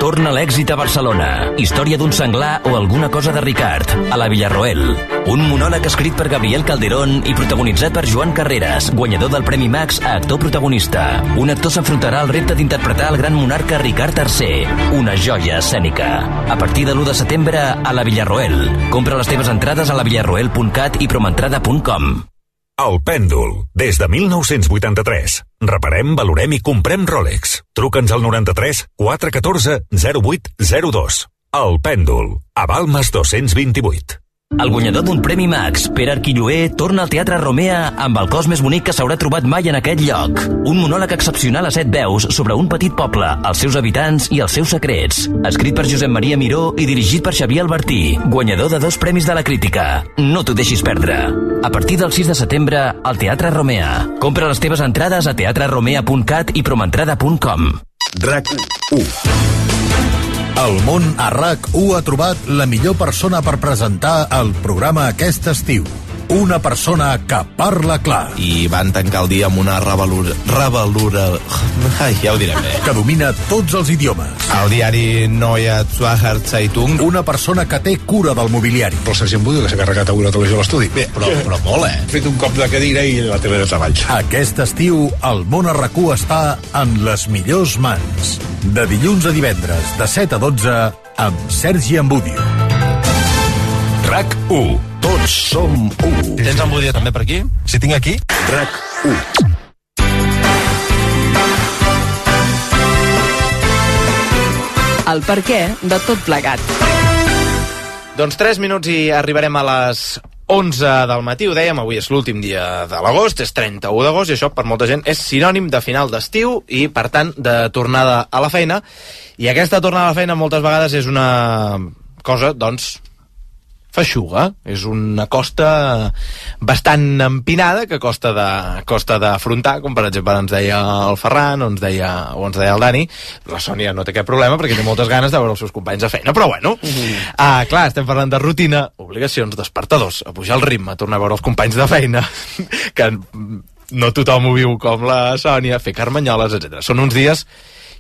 Torna l'èxit a Barcelona. Història d'un senglar o alguna cosa de Ricard, a la Villarroel. Un monòleg escrit per Gabriel Calderón i protagonitzat per Joan Carreras, guanyador del Premi Max a actor protagonista. Un actor s'enfrontarà al repte d'interpretar el gran monarca Ricard tercer. Una joia escènica. A partir de l'u de setembre a la Villarroel. Compra les teves entrades a la villarroel punt cat i promentrada punt com. El Pèndol, des de mil nou-cents vuitanta-tres. Reparem, valorem i comprem Rolex. Truca'ns al noranta-tres quatre un quatre zero vuit zero dos. El Pèndol, a Balmes dos-cents vint-i-vuit. El guanyador d'un Premi Max, Pere Arquilloé, torna al Teatre Romea amb el cos més bonic que s'haurà trobat mai en aquest lloc. Un monòleg excepcional a set veus sobre un petit poble, els seus habitants i els seus secrets. Escrit per Josep Maria Miró i dirigit per Xavier Albertí, guanyador de dos premis de la crítica. No t'ho deixis perdre. A partir del sis de setembre, al Teatre Romea. Compra les teves entrades a teatre romea punt cat i promentrada punt com. RAC u. El món a RAC u ha trobat la millor persona per presentar el programa aquest estiu. Una persona que parla clar. I van tancar el dia amb una revalura... revalura... Ai, ja ho direm bé. Que domina tots els idiomes. El diari Neue Zürcher Zeitung. Una persona que té cura del mobiliari. El sergent Budio, que s'ha carregat avui la televisió a l'estudi. Bé, però, però molt, eh? He fet un cop de cadira i la tele de treballs. Aquest estiu, el món a RAC u està en les millors mans. De dilluns a divendres, de set a dotze, amb Sergi Ambudio. RAC u. Tots som u. Tens en Budia també per aquí? Si tinc aquí, RAC u. El perquè de tot plegat. Doncs tres minuts i arribarem a les onze del matí, ho dèiem, avui és l'últim dia de l'agost, és trenta-u d'agost, i això per molta gent és sinònim de final d'estiu i, per tant, de tornada a la feina. I aquesta tornada a la feina moltes vegades és una cosa, doncs, feixuga. És una costa bastant empinada que costa de, costa d'afrontar, com per exemple ens deia el Ferran o ens deia, o ens deia el Dani. La Sònia no té cap problema perquè té moltes ganes de veure els seus companys de feina, però bueno, mm-hmm. ah, clar, estem parlant de rutina, obligacions, despertadors, a pujar el ritme, a tornar a veure els companys de feina, que no tothom ho viu com la Sònia, fer carmanyoles, etcètera. Són uns dies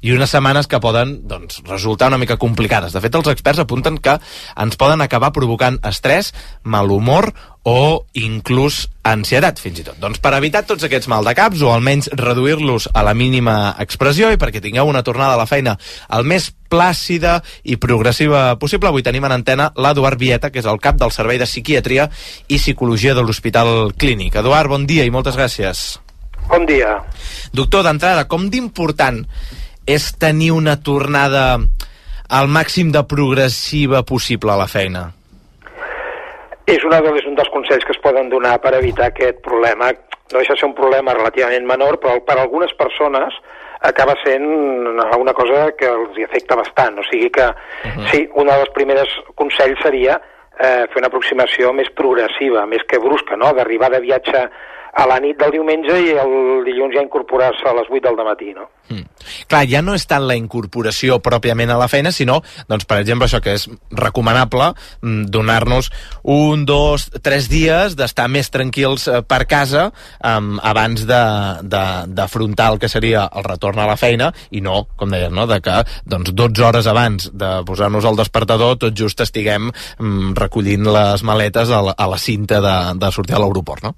i unes setmanes que poden, doncs, resultar una mica complicades. De fet, els experts apunten que ens poden acabar provocant estrès, mal humor o inclús ansietat, fins i tot. Doncs per evitar tots aquests maldecaps, o almenys reduir-los a la mínima expressió, i perquè tingueu una tornada a la feina el més plàcida i progressiva possible, avui tenim en antena l'Eduard Vieta, que és el cap del Servei de Psiquiatria i Psicologia de l'Hospital Clínic. Eduard, bon dia i moltes gràcies. Bon dia. Doctor, d'entrada, com d'important és tenir una tornada al màxim de progressiva possible a la feina? És, una, és un dels consells que es poden donar per evitar aquest problema. No deixa de ser un problema relativament menor, però per a algunes persones acaba sent una cosa que els afecta bastant. O sigui que, uh-huh. sí, un dels primers consells seria eh, fer una aproximació més progressiva, més que brusca, no? D'arribar de viatge a la nit del diumenge i el dilluns ja incorporar-se a les vuit del dematí, no? Mm. Clar, ja no és tant la incorporació pròpiament a la feina, sinó, doncs, per exemple, això que és recomanable, donar-nos un, dos, tres dies d'estar més tranquils per casa um, abans d'afrontar el que seria el retorn a la feina, i no, com deies, no?, de que doncs, dotze hores abans de posar-nos al despertador tot just estiguem um, recollint les maletes a la, a la cinta de, de sortir a l'aeroport, no?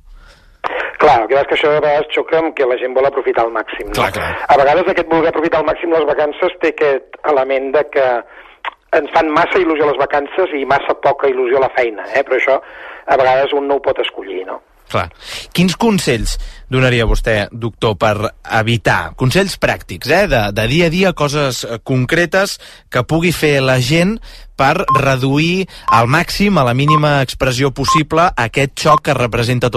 Clar, el que és que això a vegades xoca amb que la gent vol aprofitar al màxim. No? Clar, clar. A vegades aquest voler aprofitar al màxim les vacances té aquest element de que ens fan massa il·lusió les vacances i massa poca il·lusió la feina, eh? Però això a vegades un no ho pot escollir, no? Clar. Quins consells donaria vostè, doctor, per evitar, consells pràctics, eh, de, de dia a dia, coses concretes que pugui fer la gent per reduir al màxim, a la mínima expressió possible, aquest xoc que representa tot